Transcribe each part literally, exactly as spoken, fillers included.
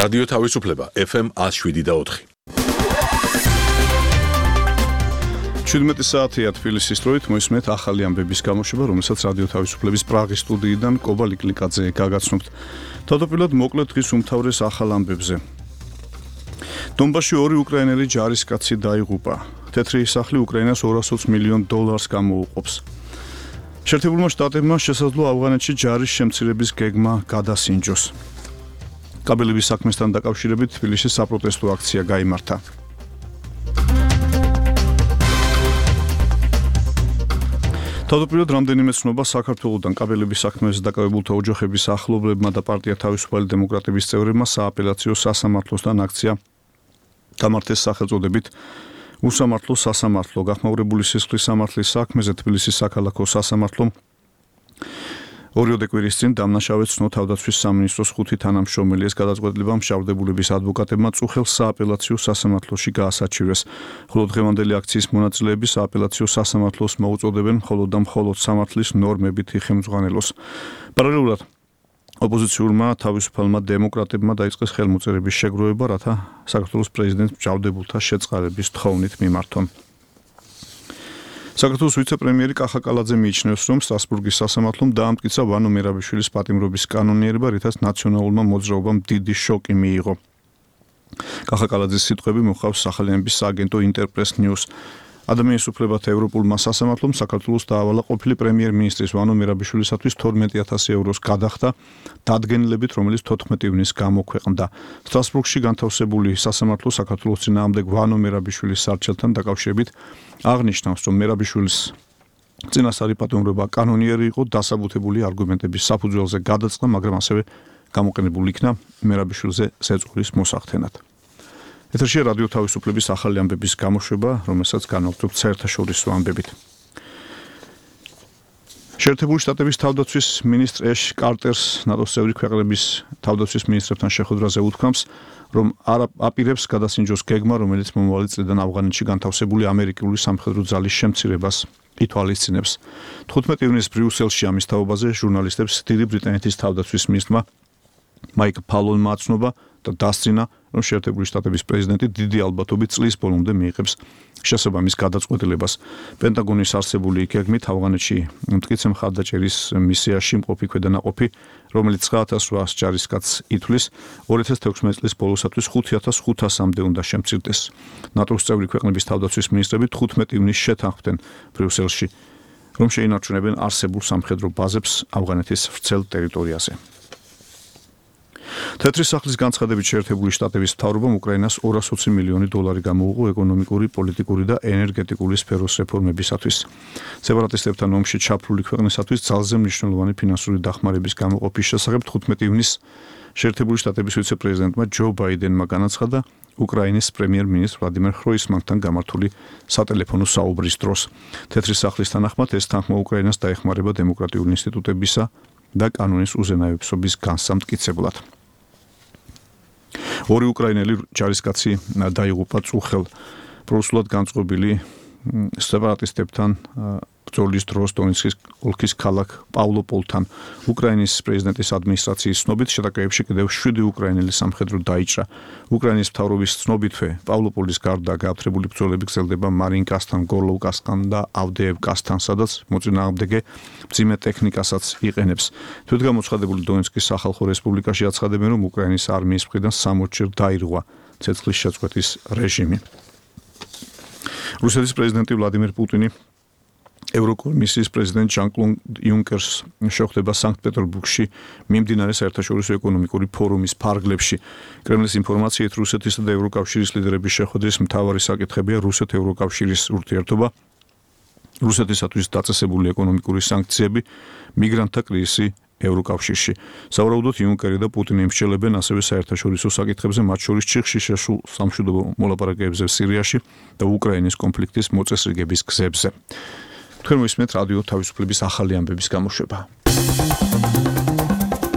რადიო თავისუფლება ეფ ემ ათს შვიდი და ოთხი. შვიდმეტი საათია თბილისის დროით მოისმენთ ახალი ამბების გამოშვება, რომელსაც რადიო თავისუფლების პრაღის სტუდიიდან კობა ლიკლიკაძე გაგაცნობთ. თავდაპირველად მოკლედ დღის უმთავრეს ახალ ამბებზე. დონბასში ორი უკრაინელი ჯარისკაცი დაიღუპა. თეთრი სახლი უკრაინას ორას ოცი მილიონ დოლარს გამოუყოფს. შეერთებულმა შტატებმა შესაძლოა ავღანეთში ჯარის შემცირების გეგმა გადასინჯოს. კაბელების საქმესთან დაკავშირებით თბილისში საპროტესტო აქცია გაიმართა. თავდაპირველად რამდენიმე ცნობა საქართველოსთან კაბელების საქმეზე დაკავებულთა ოჯახების ახლობლებმა და პარტია თავისუფალი დემოკრატების წევრებმა სააპელაციო სასამართლოსთან აქცია გამართეს სახელწოდებით უსამართლო სასამართლო. გახმაურებული სისხლის სამართლის საქმეზე თბილისის საქალაქო სასამართლომ ორიოდე კვირის წინ დამნაშავედ ცნო თავდაცვის სამინისტროს ხუთი თანამშრომელი. ეს გადაწყვეტილება მშავდებულების ადვოკატებმა წუხელ სააპელაციო სასამართლოში გაასაჩივრეს. ხოლო დღევანდელი აქციის მონაწილეები სააპელაციო სასამართლოს მოუწოდებენ მხოლოდ და მხოლოდ სამართლის ნორმებით იხელმძღვანელოს. პარალელურად ოპოზიციურმა თავისუფალმა დემოკრატებმა დაიწყეს ხელმოწერების შეგროვება, რათა საქართველოს პრეზიდენტს მჭავდებულთა შეწყალების თხოვნით მიმართონ. საქართველოს ვიცე-პრემიერი კახა კალაძე მიიჩნევს, რომ სტრასბურგის სასამართლომ დაამტკიცა ვანო მერაბიშვილის პატიმრობის კანონიერება, რითაც ნაციონალურმა მოძრაობამ დიდი შოკი მიიღო. კახა კალაძის სიტყვები მოჰყავს სახალხო სააგენტო ინტერპრეს ნიუს. ადამიანის უფლებათა ევროპულმა სასამართლომ საქართველოს დაავალა ყოფილი პრემიერ-მინისტრის ვანო მერაბიშვილისათვის თორმეტი ათასი ევროს გადახდა დადგენილებით, რომელიც თოთხმეტი ივნისს გამოქვეყნდა. სტრასბურგში განთავსებული სასამართლო საქართველოს წინააღმდეგ ვანო მერაბიშვილის სარჩელთან დაკავშირებით აღნიშნავს, რომ მერაბიშვილის წინასწარი პატიმრობა კანონიერი იყო, დასაბუთებული არგუმენტების საფუძველზე გადაწყდა, მაგრამ ასევე გამოყენებული იქნა მერაბიშვილზე ზეწოლის მოსახდენად. ეთერშია რადიო თავისუფლების ახალი ამბების გამოშვება, რომელსაც განვაგრძობთ საერთაშორისო ამბებით. შეერთებული შტატების თავდაცვის მინისტრ ეშ კარტერს ნატოს წევრი ქვეყნების თავდაცვის მინისტრებთან შეხვედრაზე უთქვამს, რომ არ აპირებს გადასინჯოს გეგმა, რომელიც მომავალი წლიდან ავღანეთში განთავსებული ამერიკული სამხედრო ძალის შემცირებას ითვალისწინებს. თხუთმეტი ივნისს ბრიუსელში ამის თაობაზე ჟურნალისტებს დიდი ბრიტანეთის თავდაცვის მინისტრმა მაიკ ფალონმა აცნობა და დასძინა, რომ შეერთებული შტატების პრეზიდენტი დიდი ალბათობით წლის ბოლომდე მიიღებს შესაბამის გადაწყვეტილებას. პენტაგონის არსებული გეგმით ავღანეთში მტკიცე მხარდაჭერის მისიაში მყოფი ქვედანაყოფი, რომელიც ცხრაათას რვაას ჯარისკაცს ითვლის, ორი ათას თექვსმეტი წლის ბოლოსათვის ხუთი ათას ხუთასამდე უნდა შემცირდეს. ნატოს წევრი ქვეყნების თავდაცვის მინისტრები თხუთმეტი ივნისს შეთანხმდნენ ბრიუსელში, რომ შეინარჩუნებენ არსებულ სამხედრო ბაზებს ავღანეთის ვრცელ ტერიტორიაზე. თეთრი სახლის განცხადებით შეერთებული შტატების მთავრობამ უკრაინას ორას ოცი მილიონი დოლარი გამოუყო ეკონომიკური, პოლიტიკური და ენერგეტიკული სფეროს რეფორმებისათვის. სეპარატისტებთან ომში ჩაფლული ქვეყნისათვის ძალზე მნიშვნელოვანი ფინანსური დახმარების გამოყოფის შესახებ თხუთმეტი ივნისს შეერთებული შტატების ვიცე-პრეზიდენტმა ჯო ბაიდენმა განაცხადა უკრაინის პრემიერ-მინისტრ ვლადიმერ ხროისმანთან გამართული სატელეფონო საუბრის დროს. თეთრი სახლის თანახმად ეს თანხმა უკრაინას დაეხმარება დემოკრატიული ინსტიტუტებისა და კანონის უზენაებისობის განსამტკიცებლად. ორი უკრაინელი ჯარისკაცი დაიღუპა წუხელ პროსულად განწყობილი სეპარატისტებთან ბრძოლის დროს დონეცკის ოლქის ქალაქ პავლოპოლთან. უკრაინის პრეზიდენტის ადმინისტრაციის ცნობით შეტაკებებში კიდევ შვიდი უკრაინელი სამხედრო დაიჭრა. უკრაინის მთავრობის ცნობითვე პავლოპოლის გარდა გააფთრებული ბრძოლები გრძელდება მარინკასთან, გორლოვკასთან და ავდეევკასთან, სადაც მოწინააღმდეგე მძიმე ტექნიკასაც იყენებს. თვითგამოცხადებული დონეცკის სახალხო რესპუბლიკაში აცხადებენ, რომ უკრაინის არმიის მხრიდან სამოცჯერ დაირღვა ცეცხლის შეწყვეტის რეჟიმი. რუსეთის პრეზიდენტი ვლადიმერ პუტინი ევროკომისიის პრეზიდენტ ჟან-კლოდ იუნკერს შეხვდება სანქტ-პეტერბურგში მიმდინარე საერთაშორისო ეკონომიკური ფორუმის ფარგლებში. კრემლის ინფორმაციით რუსეთისა და ევროკავშირის ლიდერების შეხვედრის მთავარი საკითხებია რუსეთ-ევროკავშირის ურთიერთობა, რუსეთისათვის დაწესებული ეკონომიკური სანქციები, მიგრანტთა კრიზისი ევროკავშირში. სავარაუდოდ იუნკერი და პუტინი იმსჯელებენ ასევე საერთაშორისო საკითხებზე, მათ შორის ჩიხში შესულ სამშვიდობო მოლაპარაკებებზე სირიაში და უკრაინის კონფლიქტის მოწესრიგების გზებზე. თქვენ მოისმენთ რადიო თავისუფლების ახალი ამბების გამოშვება.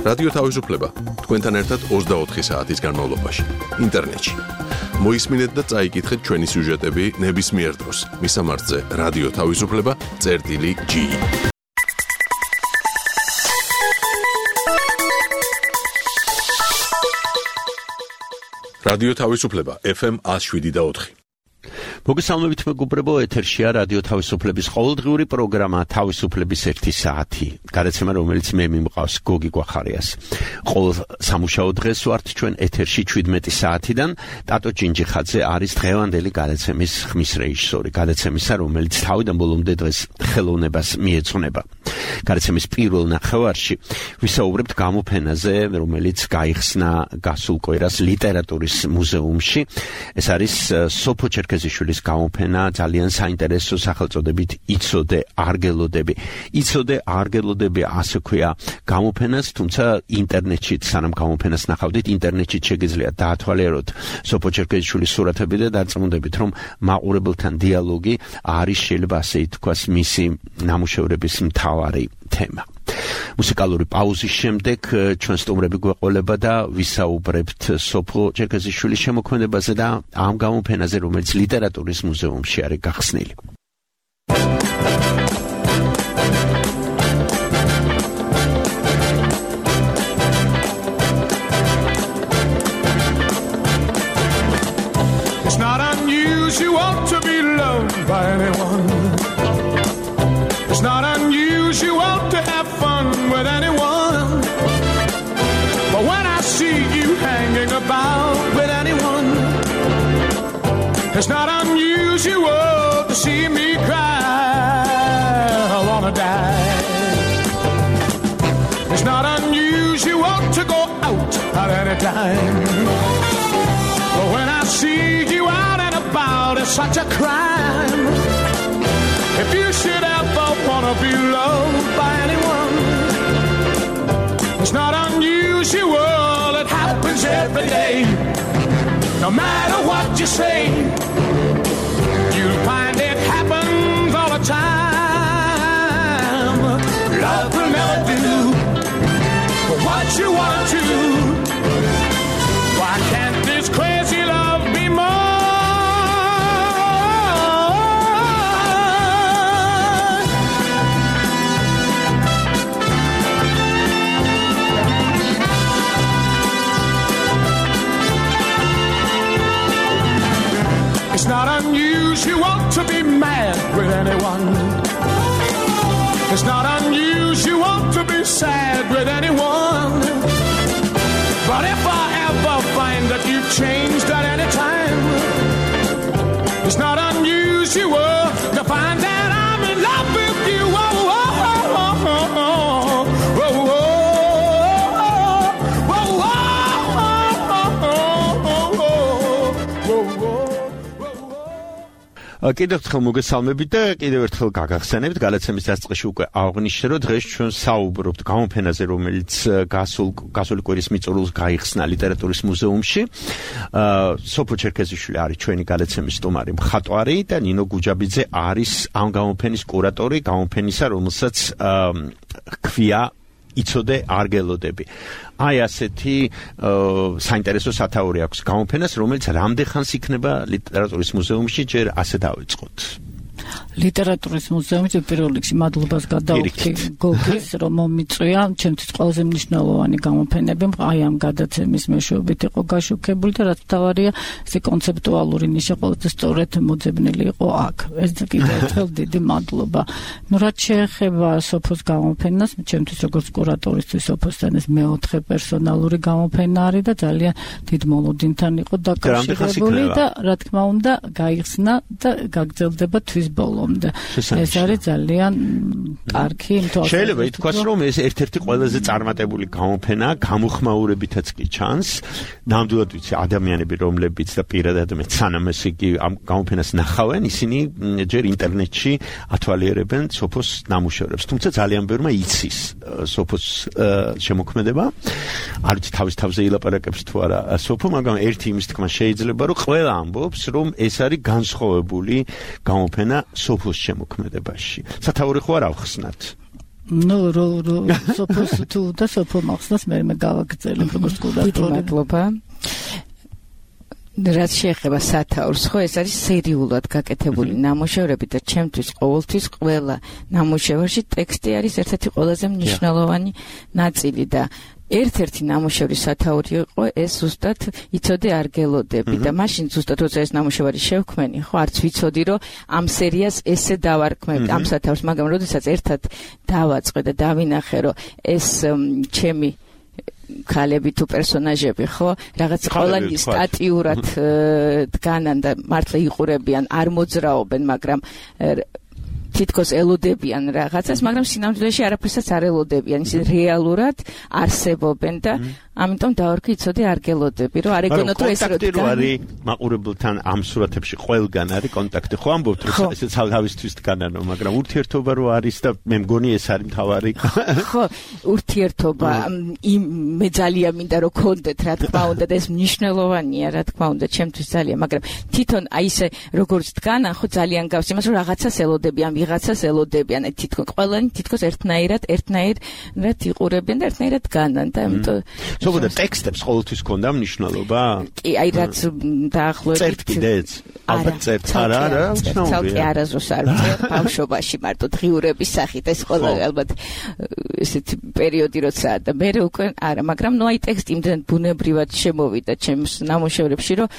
რადიო თავისუფლება თქვენთან ერთად ოცდაოთხი საათის განმავლობაში ინტერნეტში. მოისმინეთ და წაიკითხეთ ჩვენი სიუჟეტები ნებისმიერ დროს. მისამართზე რადიო თავისუფლება წერტილი ჯი. რადიო თავისუფლება ეფ ემ one oh seven point four. მოგესალმებით მეგობრებო, ეთერშია რადიო თავისუფლების ყოველდღიური პროგრამა თავისუფლების ერთი საათი. გადაცემა, რომელიც მე მიმყავს გოგი გვახარიას. ყოველ სამუშაო დღეს ვართ ჩვენ ეთერში შვიდმეტი საათიდან. ტატო ჭინჯიხაძე არის დღევანდელი გადაცემის ხმის რეჟისორი. გადაცემისა, რომელიც თავიდან ბოლომდე დღეს ხელოვნებას მიეძღვნება. გადაცემის პირველ ნახევარში ვისაუბრებთ გამოფენაზე, რომელიც გაიხსნა გასულ კვირას ლიტერატურის მუზეუმში. ეს არის სოფო ჩერქეზიშვილის გამოფენა, ძალიან საინტერესო სახელწოდებით იცოდე არგელოდები. იცოდე არგელოდები, ასე ქვია გამოფენას, თუმცა ინტერნეტში სანამ გამოფენას ნახავდით, ინტერნეტში შეგიძლიათ დაათვალიეროთ სოფო ჩერქეზიშვილის სურათები და დარწმუნდებით, რომ მაყურებელთან დიალოგი არის, შეიძლება ასე ითქვას, მისი ნამუშევრების მთავარი თემა. მუსიკალური პაუზის შემდეგ ჩვენ სტუმრები გვეყოლება და ვისაუბრებთ სოფო ჩერქეზიშვილის შემოქმედებაზე და ამ გამოფენაზე, რომელიც ლიტერატურის მუზეუმში არის გახსნილი. It's not unusual to be loved by anyone. It's not unusual to have fun with anyone. But when I see you hanging about with anyone, it's not unusual to see me cry. I wanna die. It's not unusual to go out at any time. But when I see you out and about, it's such a crime. If you should ever wanna be loved by anyone, it's not unusual, it happens every day. No matter what you say, you'll find it happens all the time. Love will never do what you want to. Why can't this crazy love be more? It's not unusual to be mad with anyone. It's not unusual to be sad with anyone. But if I ever find that you've changed at any time, it's not unusual to find that I'm in love with you. Oh, oh, oh, oh, oh, oh, oh, კიდევ ერთხელ მოგესალმებით და კიდევ ერთხელ გაგახსენებთ, გადაცემის დასაწყისში უკვე აღვნიშნე, რომ დღეს ჩვენ საუბრობთ გამოფენაზე, რომელიც გასულ გასული კვირის მიწურულს გაიხსნა ლიტერატურის მუზეუმში. სოფო ჩერქეზიშვილი არის ჩვენი გადაცემის სტუმარი მხატვარი და ნინო გუჯაბიძე არის ამ გამოფენის კურატორი, გამოფენისა, რომელსაც ქვია იცოდე არგელოდები. აი ასეთი საინტერესო სათაური აქვს გამოფენას, რომელიც რამდენხანს იქნება ლიტერატურის მუზეუმში, ჯერ ასე დავიწყოთ. ლიტერატურის მუზეუმში პირველ რიგში მადლობას გადავხდი გოგის, რომ მომიწვია. ჩემთვის ყველაზე მნიშვნელოვანი გამოფენები აი ამ გადაცემის მეშვეობით იყო გაშუქებული და რაც მთავარია, ეს კონცეპტუალური ნიშა ყველაზე სწორედ მოძებნილი იყო აქ. ეს კიდევ ერთხელ დიდი მადლობა. ნუ რაც შეეხება სოფოს გამოფენას, ჩემთვის როგორც კურატორისთვის სოფოსთან ეს მეოთხე პერსონალური გამოფენა არის და ძალიან დიდ მოლოდინთან იყო დაკავშირებული და რა თქმა უნდა გაიხსნა და გაგრძელდება თვის ბოლომდე. ეს არის ძალიან კარგი იმთვალსაზრისით. შეიძლება ითქვას, რომ ეს ერთ-ერთი ყველაზე წარმატებული გამოფენა, გამოხმაურებითაც კი ჩანს. ნამდვილად ვიცი, ადამიანები, რომლებიც და პირადად მეც სანამ ეს იგი ამ გამოფენას ნახავენ, ისინი ჯერ ინტერნეტში ათვალიერებენ სოფოს ნამუშევრებს. თუმცა ძალიან ბევრმა იცის სოფოს შემოქმედება. არ ვიცი თავის თავზე ილაპარაკებს თუ არა სოფო, მაგრამ ერთი იმის თქმა შეიძლება, რომ ყველა ამბობს, რომ ეს არის განსხვავებული გამოფენა სოფოს შემოქმედებაში. სათაური ხო არ ავხსნათ? ნუ რო რო სოფოს თუ და სოფო მახსნას მე მე გავაგრძელებ როგორც კურატორი. მადლობა. რაც შეეხება სათაურს, ხო ეს არის სერიულად გაკეთებული ნამუშევრები და ჩემთვის ყოველთვის ყველა ნამუშევარში ტექსტი არის ერთ-ერთი ყველაზე მნიშვნელოვანი ნაწილი და ერთ-ერთი ნამუშევრის სათაური იყო ეს ზუსტად იცოდე არ გელოდები და მაშინ ზუსტად როცა ეს ნამუშევარი შევქმენი, ხო, არც ვიცოდი რომ ამ სერიას ესე დავარქმევ ამ სათაურს, მაგრამ როდესაც ერთად დავაწყე და დავინახე რომ ეს ჩემი ქალები თუ პერსონაჟები, ხო, რაღაც ყველანი სტატიურად დგანან და მართლა იყურებიან, არ მოძრაობენ, მაგრამ თითქოს ელოდებიან რაღაცას, მაგრამ სინამდვილეში არაფერსაც არ ელოდებიან, ისინი რეალურად არსებობენ და ამიტომ დავარქვი იცოდე არ გელოდები, რომ არ ეგონოთ რომ ეს რო დგან. არის მაყურებელთან ამ სურათებში ყველგან არის კონტაქტი, ხო ამბობთ რომ ესე თავისთვის დგანანო, მაგრამ ურთიერთობა რო არის და მე მგონი ეს არის მთავარი. ხო, ურთიერთობა იმ მე ძალიან მინდა რომ გქონდეთ, რა თქმა უნდა და ეს მნიშვნელოვანია, რა თქმა უნდა, ჩემთვის ძალიან, მაგრამ თვითონ აი ესე როგორც დგანან, ხო ძალიან გავს იმას რომ რაღაცას ელოდებიან, ვიღაცას ელოდებიან, აი თითქოს ყველანი თითქოს ერთნაირად, ერთნაირად იყურებენ და ერთნაირად დგანან და ამიტომ ზოგადად ტექსტებს ყოველთვის ქონდა მნიშვნელობა? კი, აი რაც დაახლოებით წერთ კიდეც? ალბათ წერთ, არა, არა, უცნაურია. ცალკე არასდროს არ ვწერ, ბავშვობაში მარტო დღიურების სახით ეს ყველა ალბათ ესეთი პერიოდი როცა და მე უკვე არა, მაგრამ ნუ აი ტექსტი იმდენ ბუნებრივად შემოვიდა ჩემს ნამუშევრებში, რომ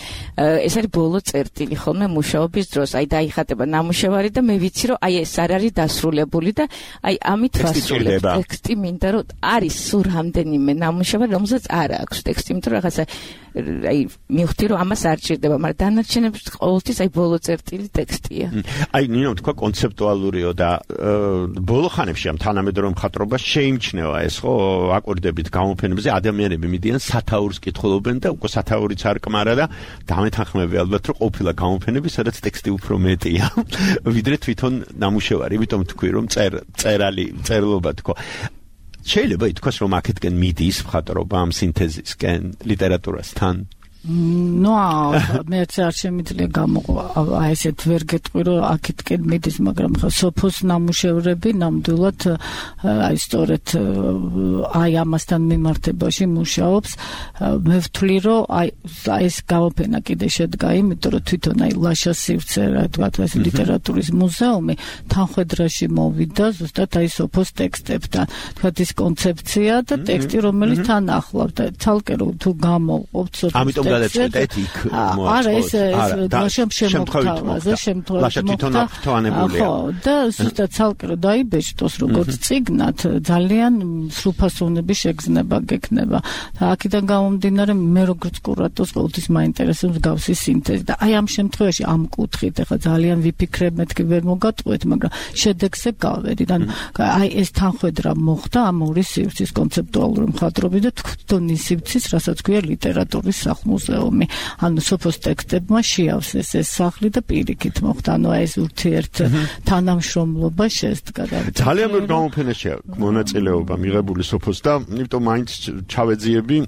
ეს არის ბოლო წერტილი ხოლმე მუშაობის დროს, აი დაიხატება ნამუშევარი და მე ვიცი რომ აი ეს არ არის დასრულებული და აი ამით ვასრულებ ტექსტი მინდა რომ არის სულ რამდენიმე ნამუშევარი რომელსაც არ აქვს ტექსტი, იმიტომ რომ რაღაცა აი მივხვდი რომ ამას არ ჭირდება, მაგრამ დანარჩენებს ყოველთვის აი ბოლო წერტილი ტექსტია. აი ნინო თქვა კონცეპტუალურიო და ბოლო ხანებში ამ თანამედროვე მხატვრობა შეიმჩნევა ეს ხო აკორდებით გამოფენებზე ადამიანები მიდიან სათაურს კითხულობენ და უკვე სათაურიც არ კმარა და დამეთანხმები ალბათ რომ ყოფილა გამოფენები სადაც ტექსტი უფრო მეტია ვიდრე თვითონ ნამუშევარი, იმიტომ თქვი რომ წერ წერალი წერლობა თქო. შეიძლება ითქვას რომ აქეთკენ მიდის მხატვრობა ამ სინთეზისკენ ლიტერატურასთან? ნუ მე არ შემიძლია გამოყვა აი ესეთ ვერ გეტყვი რომ აქეთკენ მიდის, მაგრამ ხა სოფოს ნამუშევრები ნამდვილად აი სწორედ აი ამასთან მიმართებაში მუშაობს. მე ვთვლი რომ აი ეს გამოფენა კიდე შედგა იმიტომ რომ თვითონ აი ლაშა სივრცე რა თქვა ეს ლიტერატურის მუზეუმი თანხwebdriverში მოვიდა ზუსტად აი სოფოს ტექსტებთან, თქვა ის კონცეფცია და ტექსტი რომელიც თან ახლავს და ცალკე რომ თუ გამოვყოფთ სოფოს გადაწყვეტეთ იქ არა ეს ლაშამ შემოგვთავაზე შემთხვევით ხო და ზუსტად ცალკე რომ დაიბეჭდოს როგორც წიგნად ძალიან სრულფასოვნების შეგრძნება გექნება და აქედან გამომდინარე მე როგორც კურატორს ყოველთვის მაინტერესებს გავსი სინთეზი და აი ამ შემთხვევაში ამ კუთხით ახლა ძალიან ვიფიქრებ, მეთქი ვერ მოგატყუეთ, მაგრამ შედეგზე გავედი და აი ეს თანხwebdriver მოხდა ამ ორი სივრცის კონცეპტუალური მხატვრობის და თვითონ ის სივრცის რასაც ქვია ლიტერატურის სახლ-მუზეუმი. ანუ სოფოს ტექსტებმა შეავსეს ეს სახლი და პირიქით მოხდა. ანუ ეს ურთიერთ თანამშრომლობა შესდგა. ძალიან ბევრი გამოფენაში მონაწილეობა მიღებული სოფოს და იმიტომ მაინც ჩავეძიები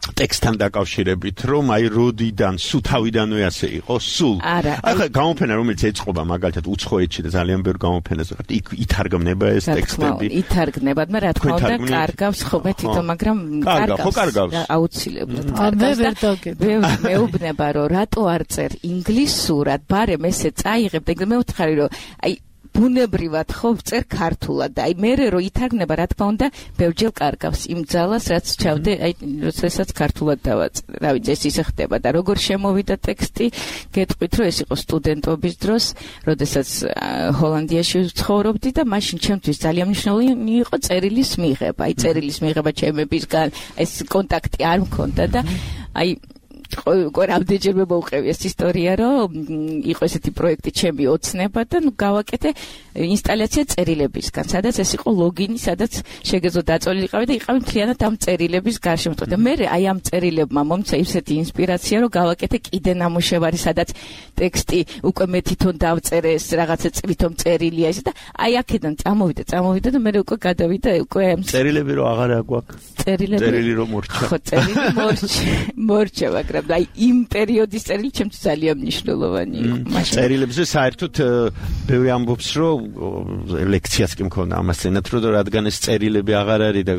ტექსტთან დაკავშირებით, რომ აი როდიდან სულ თავიდანვე ასე იყო, სულ. ახლა გამოფენა რომელიც ეწყობა მაგალითად უცხოეთში და ძალიან ბევრ გამოფენაზე ხართ, იქ ითარგმნება ეს ტექსტები. ითარგმნება, მაგრამ რა თქმა უნდა, კარგავს ხოლმე თვითონ, მაგრამ კარგავს. აუცილებლად. მე ვერ დავგები. მეუბნება რომ რატო არ წერ ინგლისურად, ბარემ ესე წაიღებ და მე ვთხარი რომ აი ბუნებრივად ხო წერ ქართულად და აი მე რო ითარგმნება რა თქმა უნდა ბევრჯერ კარგავს იმ ძალას რაც ჩავდე აი როდესაც ქართულად დავაწერე. რა ვიცი ეს ისე ხდება და როგორ შემოვიდა ტექსტი, გეტყვით რომ ეს იყო სტუდენტობის დროს, როდესაც ჰოლანდიაში ცხოვრობდი და მაშინ ჩემთვის ძალიან მნიშვნელოვანი იყო წერილის მიღება. აი წერილის მიღება ჩემებისგან, ეს კონტაქტი არ მქონდა და აი უკვე რამდენჯერმე მოვყევი ეს ისტორია, რომ იყო ესეთი პროექტი ჩემი ოცნება და ნუ გავაკეთე ინსტალაცია წერილებისგან, სადაც ეს იყო ლოგინი, სადაც შეგეძლო დაწოლილიყავი და იყავი მთლიანად ამ წერილების გარშემო. და მე აი ამ წერილებმა მომცა ისეთი ინსპირაცია, რომ გავაკეთე კიდე ნამუშევარი, სადაც ტექსტი უკვე მე თვითონ დავწერე, ეს რაღაცა წვითომ წერილია ეს და აი აქედან წამოვიდა, წამოვიდა და მე უკვე გადავიდა უკვე წერილები რო აღარა გვაქვს. წერილები წერილი რო მორჩა. ხო, წერილი მორჩა, მორჩა, მაგრამ მაგრამ აი იმ პერიოდის წერილი ჩემთვის ძალიან მნიშვნელოვანი იყო. წერილებზე საერთოდ ბევრი ამბობს, რომ ლექციას კი მქონდა ამას წინათ, რომ რადგან ეს წერილები აღარ არის და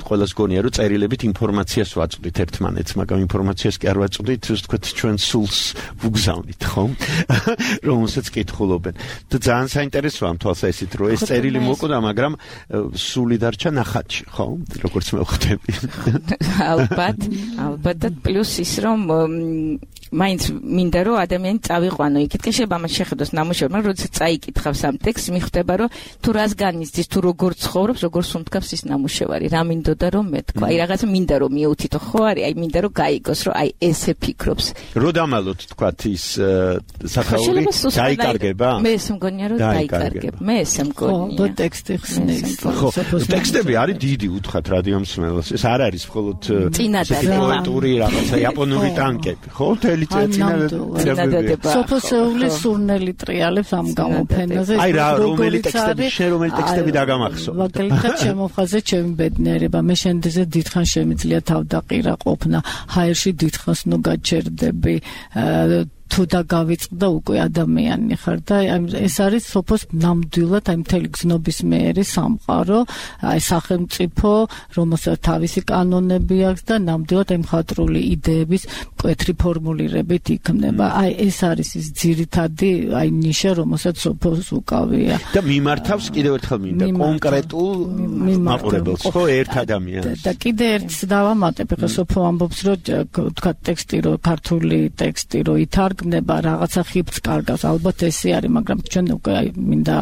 ყველას გონია, რომ წერილებით ინფორმაციას ვაწვდით ერთმანეთს, მაგრამ ინფორმაციას კი არ ვაწვდით, ასე ვთქვათ, ჩვენ სულს ვუგზავნით, ხო? რომელსაც კითხულობენ. და ძალიან საინტერესოა ამ თვალსაზრისით, რომ ეს წერილი მოკვდა, მაგრამ სული დარჩა ნახატში, ხო? როგორც მე ვხვდები. ალბათ, ალბათ და პლუს ის რომ მაინც მინდა რომ ადამიანი წავიყვანო იქითკენ შეიძლება ამას შეხედოს ნამუშევარი, მაგრამ როდესაც წაიკითხავს ამ ტექსტს მიხვდება რომ თუ რას განიცდის, თუ როგორ ცხოვრობს, როგორ სუნთქავს ის ნამუშევარი, რა მინდოდა რომ მეთქვა. აი რაღაცა მინდა რომ მიუთითო, ხო არის, აი მინდა რომ გაიგოს, რომ აი ესე ფიქრობს. რო დამალოთ თქვათ ის სახაური დაიკარგება? მე ესე მგონია რომ დაიკარგება. მე ესე მგონია. ხო, ტექსტი ხსნის. ხო, ტექსტები არის დიდი უთხათ რადიო მსმენელს. ეს არ არის მხოლოდ პოეტური რაღაცა იაპონური ტანკები, ხო? სოფოსეულის სურნელი ტრიალებს ამ გამოფენაზე. აი რა, რომელი ტექსტები, შენ რომელი ტექსტები დაგამახსოვ? მაგალითად, შემოხაზე ჩემი ბედნიერება, მე შენდეზე დიდხან შემიძლია თავდაყირა ყოფნა, ჰაერში დიდხანს ნუ გაჩერდები, თუ და გავიწყდა უკვე ადამიანი ხარ და ეს არის სოფოს ნამდვილად აი მთელი გზნობის მეერი სამყარო, აი სახელმწიფო, რომელსაც თავისი კანონები აქვს და ნამდვილად აი მხატვრული იდეების მკვეთრი ფორმულირებით იქმნება. აი ეს არის ის ძირითადი აი ნიშა, რომელსაც სოფოს უკავია. და მიმართავს კიდევ ერთხელ მინდა კონკრეტულ მაყურებელს, ხო, ერთ ადამიანს. და კიდე ერთს დავამატებ, ხა სოფო ამბობს, რომ თქვა ტექსტი, რომ ქართული ტექსტი, რომ ითარ გნება რაღაცა ხიფს კარგავს, ალბათ ესე არის, მაგრამ ჩვენ უკვე აი მინდა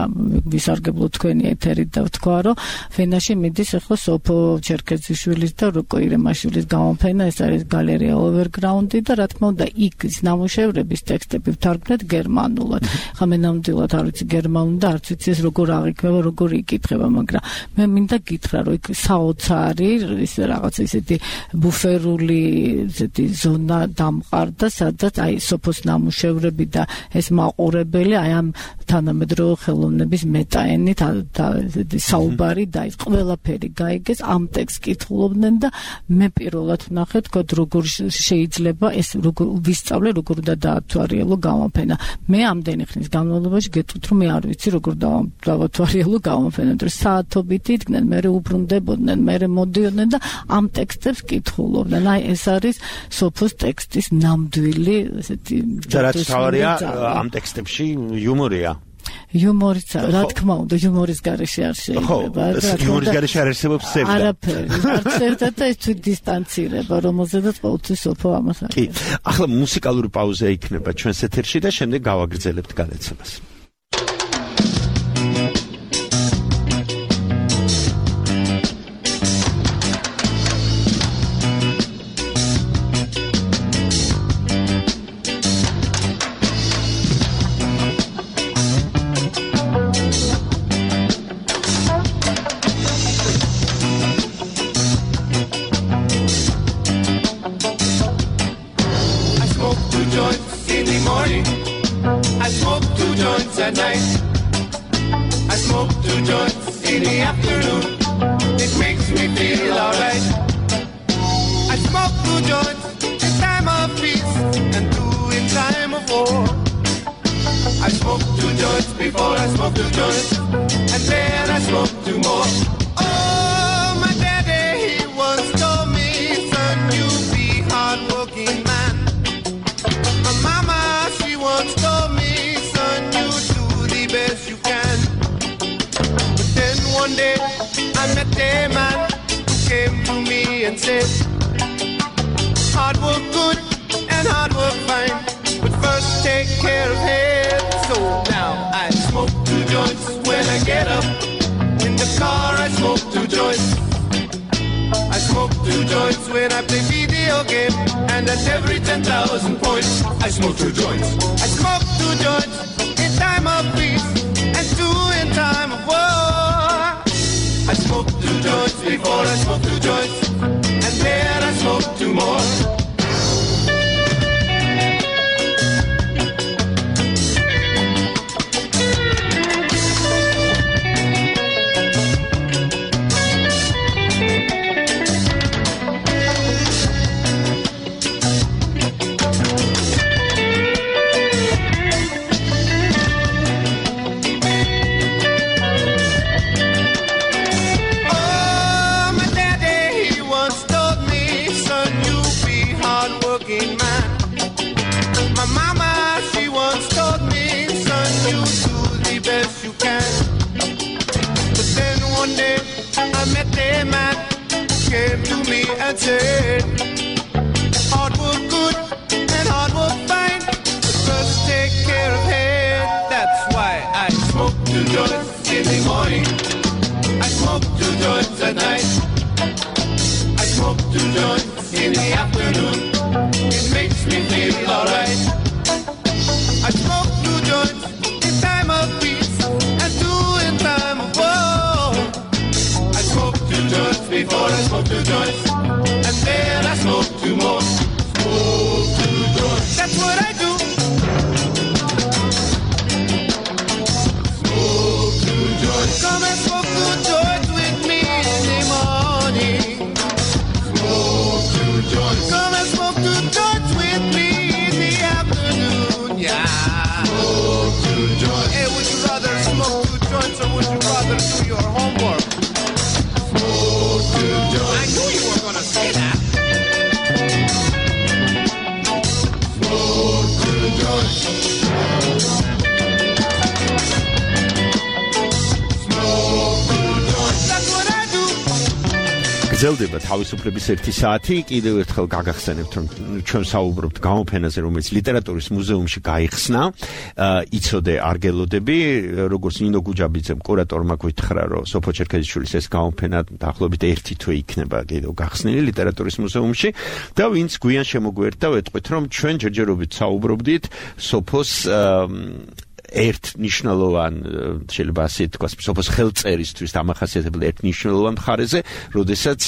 ვისარგებლო თქვენი ეთერით და ვთქვა, რომ ფენაში მიდის ახლა სოფო ჩერქეზიშვილის და როკო ირემაშვილის გამოფენა, ეს არის გალერეა ოვერგრაუნდი და რა თქმა უნდა იქ ნამუშევრების ტექსტები ვთარგმნეთ გერმანულად. ხა მე ნამდვილად არ ვიცი გერმანულად და არც ვიცი ეს როგორ აღიქმება, როგორ იკითხება, მაგრამ მე მინდა გითხრა, რომ იქ საოცარი ის რაღაც ისეთი ბუფერული ისეთი ზონა დამყარდა, სადაც აი სოფოს ნამუშევრები და ეს მაყურებელი აი ამ თანამედროვე ხელოვნების მეტაენით საუბარი და ის ყველაფერი გაიგეს, ამ ტექსტს კითხულობდნენ და მე პირველად ვნახე, თქო, როგორ შეიძლება ეს როგორ ვისწავლე, როგორ უნდა დაათვალიერო გამოფენა. მე ამდენი ხნის განმავლობაში გეტყვით, რომ მე არ ვიცი როგორ დავათვალიერო გამოფენა, რომ საათობით იდგნენ, მე უბრუნდებოდნენ, მე მოდიოდნენ და ამ ტექსტებს კითხულობდნენ. აი ეს არის სოფოს ტექსტის ნამდვილი ესეთი და რაც თავარია ამ ტექსტებში იუმორია. იუმორიც, რა თქმა უნდა, იუმორის გარეშე არ შეიძლება. ხო, იუმორის გარეშე არ არსებობს სევდა. არაფერი, არც ერთად და ეს თვით დისტანცირება, რომელზედაც ყოველთვის სოფო ამას არის. კი, ახლა მუსიკალური პაუზა იქნება ჩვენს ეთერში და შემდეგ გავაგრძელებთ განაცემას. and said, hard work good and hard work fine, but brothers take care of head. That's why I smoke two joints in the morning, I smoke two joints at night, I smoke two joints in the afternoon. It makes me feel alright. I smoke two joints in time of peace and two in time of war. I smoke two joints before I smoke two joints, and then I smoke two more. Smoke two joints. That's what I do. Smoke two joints. Come and smoke two joints with me in the morning. Smoke two joints. Come and smoke two joints with me in the afternoon. Yeah. Smoke two joints. Hey, would you rather smoke two joints or would you rather do your homework? Smoke two joints. I knew you were gonna say that. Smoke two joints. Smoke two joints. That's what I do. გრძელდება თავისუფლების ერთი საათი. კიდევ ერთხელ გაგახსენებთ, რომ ჩვენ საუბრობთ გამოფენაზე, რომელიც ლიტერატურის მუზეუმში გაიხსნა. იცოდე არ გელოდები, როგორც ნინო გუჯაბიძემ კურატორმა გითხრა, რომ სოფო ჩერქეზიშვილის ეს გამოფენა დაახლოებით ერთი თვე იქნება კიდევ გახსნილი ლიტერატურის მუზეუმში და ვინც გვიან შემოგვერთა ვეტყვით, რომ ჩვენ ჯერჯერობით საუბრობდით სოფოს ერთ ნიშნულოვან შეიძლება ასე თქვას სოფოს ხელწერისთვის დამახასიათებელ ერთ ნიშნულოვან მხარეზე, როდესაც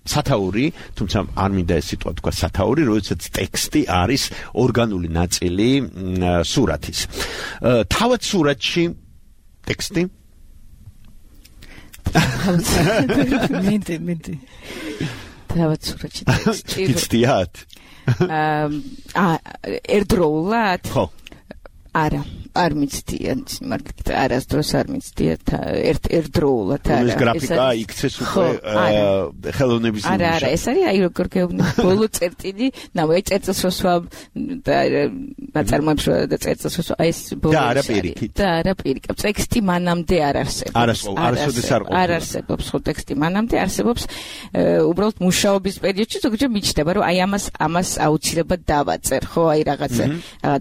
სათაური, თუმცა არ მინდა ეს სიტყვა თქვა სათაური, როდესაც ტექსტი არის ორგანული ნაწილი სურათის. თავად სურათში ტექსტი მინდი მინდი თავად სურათში ტექსტი გიცდიათ? აა ერთდროულად? ხო. არა, არ მიცდიან, მაგალითად, არასდროს არ მიცდიან ერთ ერთდროულად არა. ეს გრაფიკა იქცეს უკვე ხელოვნების არა, არა, ეს არის აი როგორ გეუბნები, ბოლო წერტილი, ნაუ აი წერტილს რო სვამ და ნაწარმოებს რო და წერტილს რო აი ეს ბოლო და არა პირიქით. და არა პირიქით. ტექსტი მანამდე არ არსებობს. არასოდეს არ ყოფილა. არ არსებობს ხო ტექსტი მანამდე არსებობს უბრალოდ მუშაობის პერიოდში ზოგჯერ მიჩნდება, რომ აი ამას ამას აუცილებლად დავაწერ, ხო, აი რაღაცა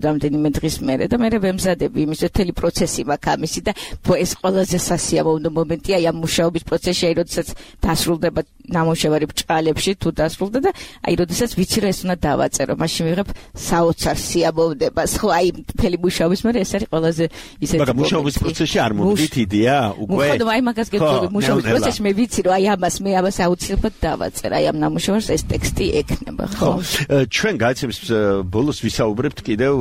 რამდენიმე დღის მერე და მე ვემზადები იმის მთელი პროცესი მაქვს ამისი და ეს ყველაზე სასიამოვნო მომენტია აი ამ მუშაობის პროცესში, აი როდესაც დასრულდება ნამუშევარი ბჭყალებში თუ დასრულდა და აი როდესაც ვიცი რომ ეს უნდა დავაწერო, მაშინ ვიღებ საოცარ სიამოვნებას, ხო, აი მთელი მუშაობის მერე ეს არის ყველაზე ისეთი მაგრამ მუშაობის პროცესში არ მომდით იდეა უკვე? ხო, აი მაგას გეტყვი, მუშაობის პროცესში მე ვიცი რომ აი ამას მე ამას აუცილებლად დავაწერ, აი ამ ნამუშევარს ეს ტექსტი ექნება, ხო? ჩვენ გაიცემს ბოლოს ვისაუბრებთ კიდევ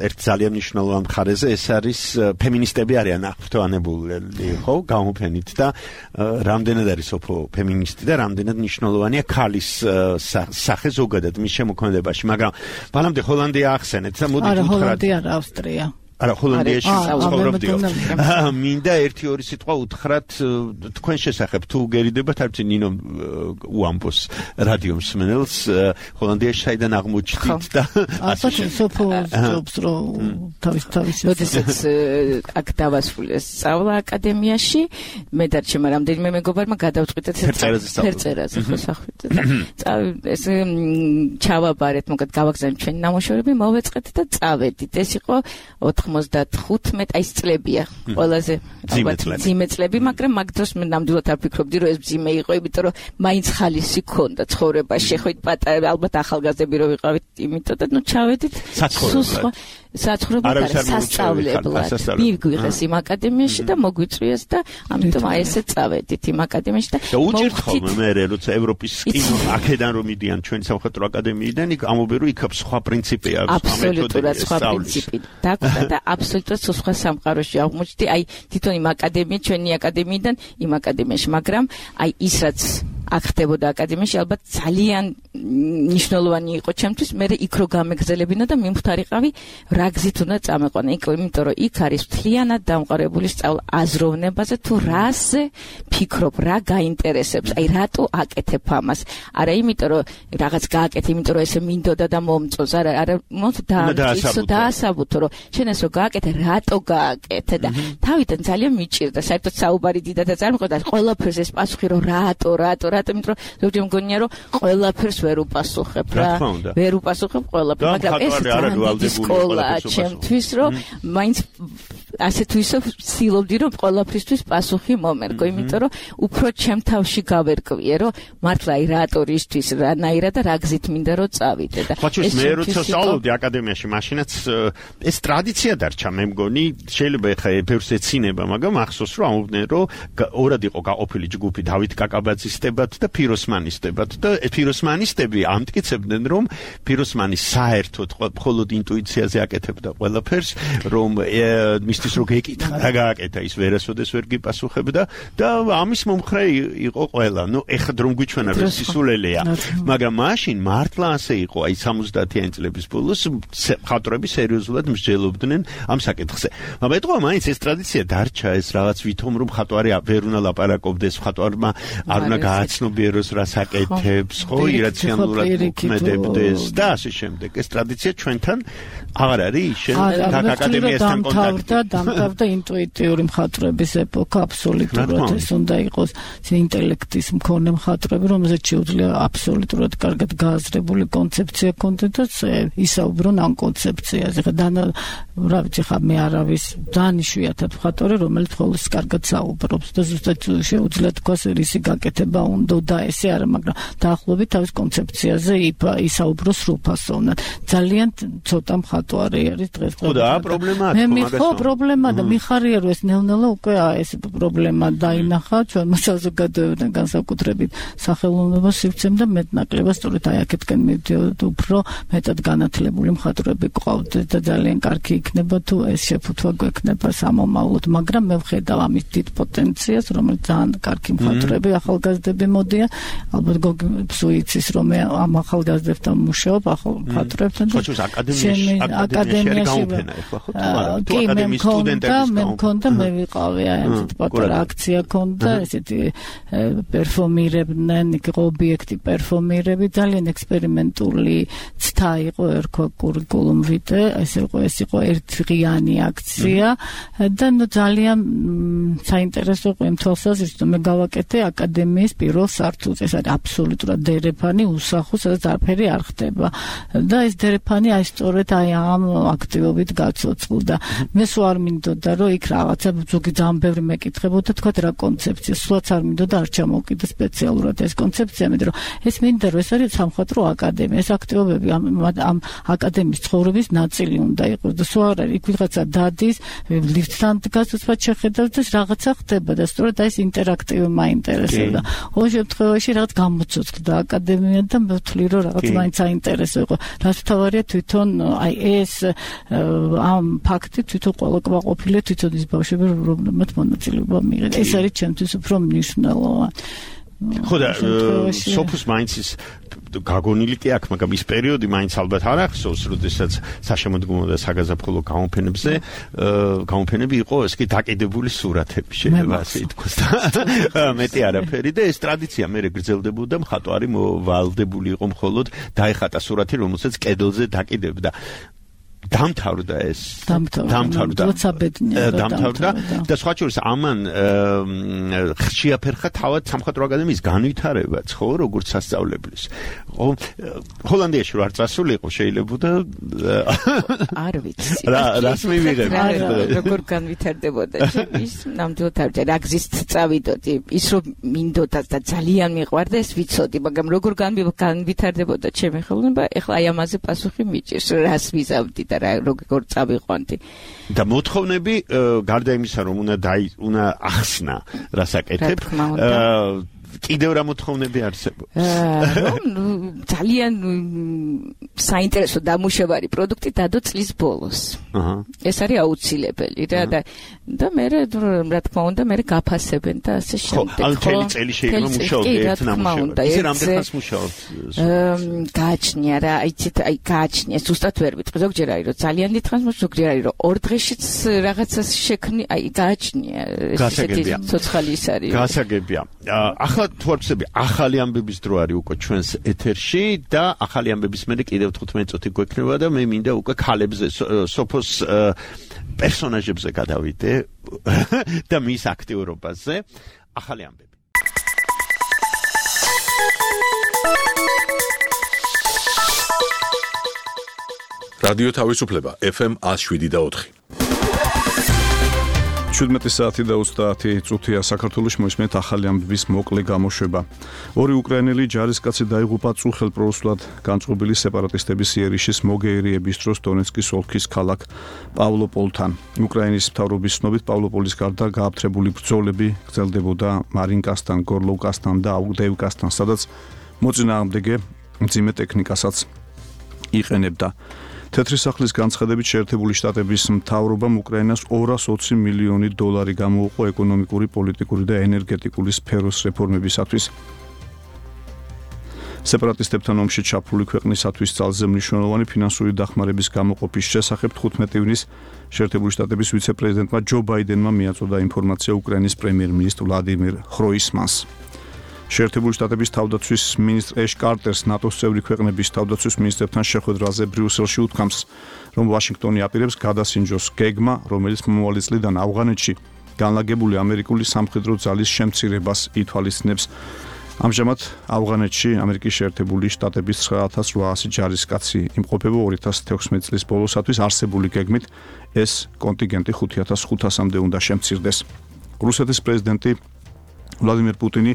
ერთ ძალიან მნიშვნელოვან მხარეზე, ეს არის ფემინისტები არიან აღფრთოვანებული, ხო, გამოფენით და რამდენად არის სოფო ფემინისტი და რამდენად მნიშვნელოვანია ქალის სახე ზოგადად მის შემოქმედებაში, მაგრამ ბანამდე ჰოლანდია ახსენეთ და მოდით არა, უთხრათ. ჰოლანდია არა, ავსტრია. არა, ჰოლანდიაში ცხოვრობდიო. მინდა ერთი ორი სიტყვა უთხრათ თქვენ შესახებ, თუ გერიდებათ, არ ვიცი ნინო უამბოს რადიო მსმენელს, ჰოლანდიაში საიდან აღმოჩნდით და ასე სოფო ჯობს რო თავის თავის როდესაც აქ დავასრულეს სწავლა აკადემიაში, მე და ჩემ რამდენიმე მეგობარმა გადავწყვიტეთ ფერწერაზე ხო სახვით და ეს ჩავაბარეთ, მოგეთ გავაგზავნეთ ჩვენი ნამუშევრები, მოვეწყეთ და წავედით. ეს იყო ოცდახუთმეტ აი წლებია ყველაზე ძიმე წლები, მაგრამ მაგ დროს მე ნამდვილად არ ფიქრობდი რომ ეს ძიმე იყო, იმიტომ რომ მაინც ხალისი ქონდა ცხოვრებაში, ხო პატარა ალბათ ახალგაზრდები რო ვიყავით, იმიტომ და ნუ ჩავედით საცხოვრებლად. საცხოვრებლად არა, სასწავლებლად. მიგვიღეს იმ აკადემიაში და მოგვიწვიეს და ამიტომ აი ესე წავედით იმ აკადემიაში და უჭირთ ხოლმე მე როცა ევროპის კინო აქედან რომ მიდიან ჩვენი სამხატვრო აკადემიიდან, იქ ამობერო იქ სხვა პრინციპი აქვს, აბსოლუტურად სხვა პრინციპი. და აბსოლუტურად სხვა სამყაროში აღმოჩნდი, აი თვითონ იმ აკადემია, ჩვენი აკადემიიდან იმ აკადემიაში, მაგრამ აი ის რაც აქ ხდებოდა აკადემიაში, ალბათ ძალიან მნიშვნელოვანი იყო ჩემთვის, მე იქ რო გამეგზელებინა და მიმხდარიყავი რა გზით უნდა წამეყვანა, იმიტომ რომ იქ არის მთლიანად დამყარებული სწავლა აზროვნებაზე, თუ რაზე ფიქრობ, რა გაინტერესებს, აი რატო აკეთებ ამას, არა იმიტომ რომ რაღაც გააკეთე, იმიტომ რომ ესე მინდოდა და მომწონს, არა, არა, მოც დაამტკიცო, დაასაბუთო, რომ შენ ეს რო გააკეთე, რატო გააკეთე და თავიდან ძალიან მიჭირდა, საერთოდ საუბარი დიდად არ წარმოყვდა, ყველაფერს ეს პასუხი რომ რატო, რატო, რატომ იმიტომ ზოგჯერ მგონია რომ ყველაფერს ვერ უპასუხებ რა ვერ უპასუხებ ყველაფერს მაგრამ ეს არის სკოლა ჩემთვის რომ მაინც ასე თუ ისე ვცდილობდი რომ ყველაფრისთვის პასუხი მომერგო იმიტომ რომ უფრო ჩემ თავში გავერკვიე რომ მართლა აი რატორისთვის რანაირად და რა გზით მინდა რომ წავიდე და ეს მე როცა სწავლობდი აკადემიაში მაშინაც ეს ტრადიცია დარჩა მე მგონი შეიძლება ეხა ბევრს ეცინება მაგრამ ახსოვს რომ ამობდნენ რომ ორად იყო გაყოფილი ჯგუფი დავით კაკაბაძისდებად და ფიროსმანისდებად და ფიროსმანისტები ამტკიცებდნენ რომ ფიროსმანი საერთოდ მხოლოდ ინტუიციაზე აკეთებდა ყველაფერს რომ მისთვის რო გეკითხა რა გააკეთა ის ვერასოდეს ვერ გიპასუხებდა და ამის მომხრე იყო ყველა ნუ ეხა რომ გვიჩვენა რომ სისულელეა მაგრამ მაშინ მართლა ასე იყო აი სამოცდაათიანი წლების ბოლოს მხატვრები სერიოზულად მსჯელობდნენ ამ საკითხზე მაგრამ ეთქვა მაინც ეს ტრადიცია დარჩა ეს რაღაც ვითომ რომ მხატვარი ვერ უნდა ლაპარაკობდეს მხატვარმა არ უნდა გააცნობიეროს რას აკეთებს ხო ირაციონალურად მოქმედებდეს და ასე შემდეგ ეს ტრადიცია ჩვენთან აღარ არის შენ აკადემიასთან კონტაქტი დამთავრდა ინტუიტიური მხატვრების ეპოქა აბსოლუტურად ეს უნდა იყოს ინტელექტის მქონე მხატვრები რომელზეც შეუძლია აბსოლუტურად კარგად გააზრებული კონცეფცია ქონდეს და ისაუბრონ ამ კონცეფციაზე ხა და რა ვიცი ხა მე არავის ძალიან იშვიათად მხატვარი რომელიც ხოლმე კარგად საუბრობს და ზუსტად შეუძლია თქვას რისი გაკეთება უნდა და ესე არა მაგრამ დაახლოებით თავის კონცეფციაზე ისაუბროს სრულფასოვნად ძალიან ცოტა მხატვარი არის დღეს ხო და პრობლემაა ხო პრობლემა და მიხარია რომ ეს ნელ-ნელა უკვე ეს პრობლემა დაინახა ჩვენმა საზოგადოებამ განსაკუთრებით სახელმწიფო სივრცემ და მეტნაკლებად სწორედ აი აქეთკენ მივდიოდ უფრო მეტად განათლებული მხატვრები გყავდეთ და ძალიან კარგი იქნება თუ ეს შეფუთვა გვექნება სამომავლოდ მაგრამ მე ვხედავ ამის დიდ პოტენციალს რომელიც ძალიან კარგი მხატვრები ახალგაზრდები მოდიან ალბათ გოგი სუიცის რომ მე ამ ახალგაზრდებთან მუშაობ ახალ მხატვრებთან და აკადემიაში გაუფენა ეხლა ხო თუ აკადემიის სტუდენტებს მე მქონდა მე ვიყავი აი ესეთ პატარა აქცია ქონდა ესეთი პერფორმირებდნენ იქ ობიექტი პერფორმირები ძალიან ექსპერიმენტული ცდა იყო ერქვა კურიკულუმ ვიტე ეს იყო ეს იყო ერთდღიანი აქცია და ნუ ძალიან საინტერესო იყო იმ თვალსაზრისით რომ მე გავაკეთე აკადემიის პირველ სართულზე ეს არის აბსოლუტურად დერეფანი უსახო სადაც არაფერი არ ხდება და ეს დერეფანი აი სწორედ აი ამ აქტივობით გაცოცხლდა მე სულ არ მინდოდა რომ იქ რაღაცა ზოგი ძალიან ბევრი მეკითხებოდა თქვა რა კონცეფცია სულაც არ მინდოდა არ ჩამოვკიდე სპეციალურად ეს კონცეფცია მე რომ ეს მინდა რომ ეს არის სამხატვრო აკადემია ეს აქტივობები ამ ამ აკადემიის ცხოვრების ნაწილი უნდა იყოს და სულ არ არის იქ ვიღაცა დადის ლიფტთან დგას უცბად შეხედავს და რაღაცა ხდება და სწორედ აი ეს ინტერაქტივი მაინტერესებდა ოღონდ შემთხვევაში რაღაც გამოცოცხლდა აკადემია და მე ვთვლი რომ რაღაც მაინც საინტერესო იყო რაც თავარია თვითონ აი ეს ამ ფაქტი თვითონ ყველა ყოფილი თვითონ ის ბავშვები რომლებმაც მონაწილეობა მიიღეს ეს არის ჩემთვის უფრო მნიშვნელოვანი ხო და სოფუს მაინც ის გაგონილი კი აქვს მაგრამ ის პერიოდი მაინც ალბათ არ ახსოვს როდესაც საშემოდგომო და საგაზაფხულო გამოფენებზე გამოფენები იყო ეს კი დაკიდებული სურათები შეიძლება ასე ითქვას და მეტი არაფერი და ეს ტრადიცია მე გრძელდებოდა მხატვარი ვალდებული იყო მხოლოდ დაეხატა სურათი რომელსაც კედელზე დაკიდებდა დამთავრდა ეს დამთავრდა დამთავრდა და სხვა შორის ამან შეაფერხა თავად სამხატვრო აკადემიის განვითარებაც ხო როგორც სასწავლებლის ხო ჰოლანდიაში რო არ წასულიყო შეიძლებოდა არ ვიცი რა რას მივიღებ როგორ განვითარდებოდა ის ნამდვილად არ ვიცი რა გზით წავიდოდი ის რომ მინდოდა და ძალიან მიყვარდა ეს ვიცოდი მაგრამ როგორ განვითარდებოდა ჩემი ხელოვნება ეხლა აი ამაზე პასუხი მიჭირს რას ვიზავდი და რა როგორ წავიყვანდი და მოთხოვნები გარდა იმისა რომ უნდა უნდა ახსნა რასაკეთებ კიდევ რა მოთხოვნები არსებობს ძალიან საინტერესო დამუშავარი პროდუქტი დადო წლის ბოლოს ეს არის აუცილებელი რა და და მე რა თქმა უნდა მე გაფასებენ და ასე შემდეგ ხო მთელი წელი შეიძლება მუშაობდი ერთ ნამუშევრად ისე რამდენს მუშაობთ გააჩნია რა იცით აი გააჩნია ზუსტად ვერ ვიტყვი ზოგჯერ არის რომ ძალიან დიდხანს ზოგჯერ არის რომ ორ დღეშიც რაღაცას შექმნი აი გააჩნია ესეთი ცოცხალი ის არის გასაგებია ახლა თუ არ ვცდები ახალი ამბების დრო არის უკვე ჩვენს ეთერში და ახალი ამბების მერე კიდევ თხუთმეტი წუთი გვექნება და მე მინდა უკვე ქალებზე სოფოს პერსონაჟებზე გადავიდე და მის აქტიურობაზე ახალი ამბები რადიო თავისუფლება ეფ ემ one oh seven და four. შვიდმეტი საათი და ოცდაათი წუთია საქართველოს მოისმენთ ახალი ამბების მოკლე გამოშვება. ორი უკრაინელი ჯარისკაცი დაიღუპა წუხელ პროუსულად განწყობილი სეპარატისტების იერიშის მოგეერიების დროს დონეცკის ოლქის ქალაქ პავლოპოლთან. უკრაინის მთავრობის ცნობით პავლოპოლის გარდა გააფთრებული ბრძოლები გრძელდებოდა მარინკასთან, გორლოვკასთან და აუგდევკასთან, სადაც მოწინააღმდეგე მძიმე ტექნიკასაც იყენებდა. თეთრი სახლის განცხადებით შეერთებული შტატების მთავრობამ უკრაინას ორას ოცი მილიონი დოლარი გამოუყო ეკონომიკური, პოლიტიკური და ენერგეტიკული სფეროს რეფორმებისათვის. სეპარატისტებთან ომში ჩაფლული ქვეყნისათვის ძალზე მნიშვნელოვანი ფინანსური დახმარების გამოყოფის შესახებ თხუთმეტი ივნის შეერთებული შტატების ვიცე-პრეზიდენტმა ჯო ბაიდენმა მიაწოდა ინფორმაცია უკრაინის პრემიერ-მინისტრ ვლადიმირ ხროისმანს. შეერთებული შტატების თავდაცვის მინისტრ ეშ კარტერს ნატოს წევრი ქვეყნების თავდაცვის მინისტრებთან შეხვედრაზე ბრიუსელში უთქვამს, რომ ვაშინგტონი აპირებს გადასინჯოს გეგმა, რომელიც მომავალი წლიდან ავღანეთში განლაგებული ამერიკული სამხედრო ძალის შემცირებას ითვალისწინებს. ამჟამად ავღანეთში ამერიკის შეერთებული შტატების ცხრა ათას რვაასი ჯარისკაცი იმყოფება ორი ათას თექვსმეტი წლის ბოლოსათვის არსებული გეგმით ეს კონტინგენტი ხუთი ათას ხუთასამდე უნდა შემცირდეს. რუსეთის პრეზიდენტი ვლადიმირ პუტინი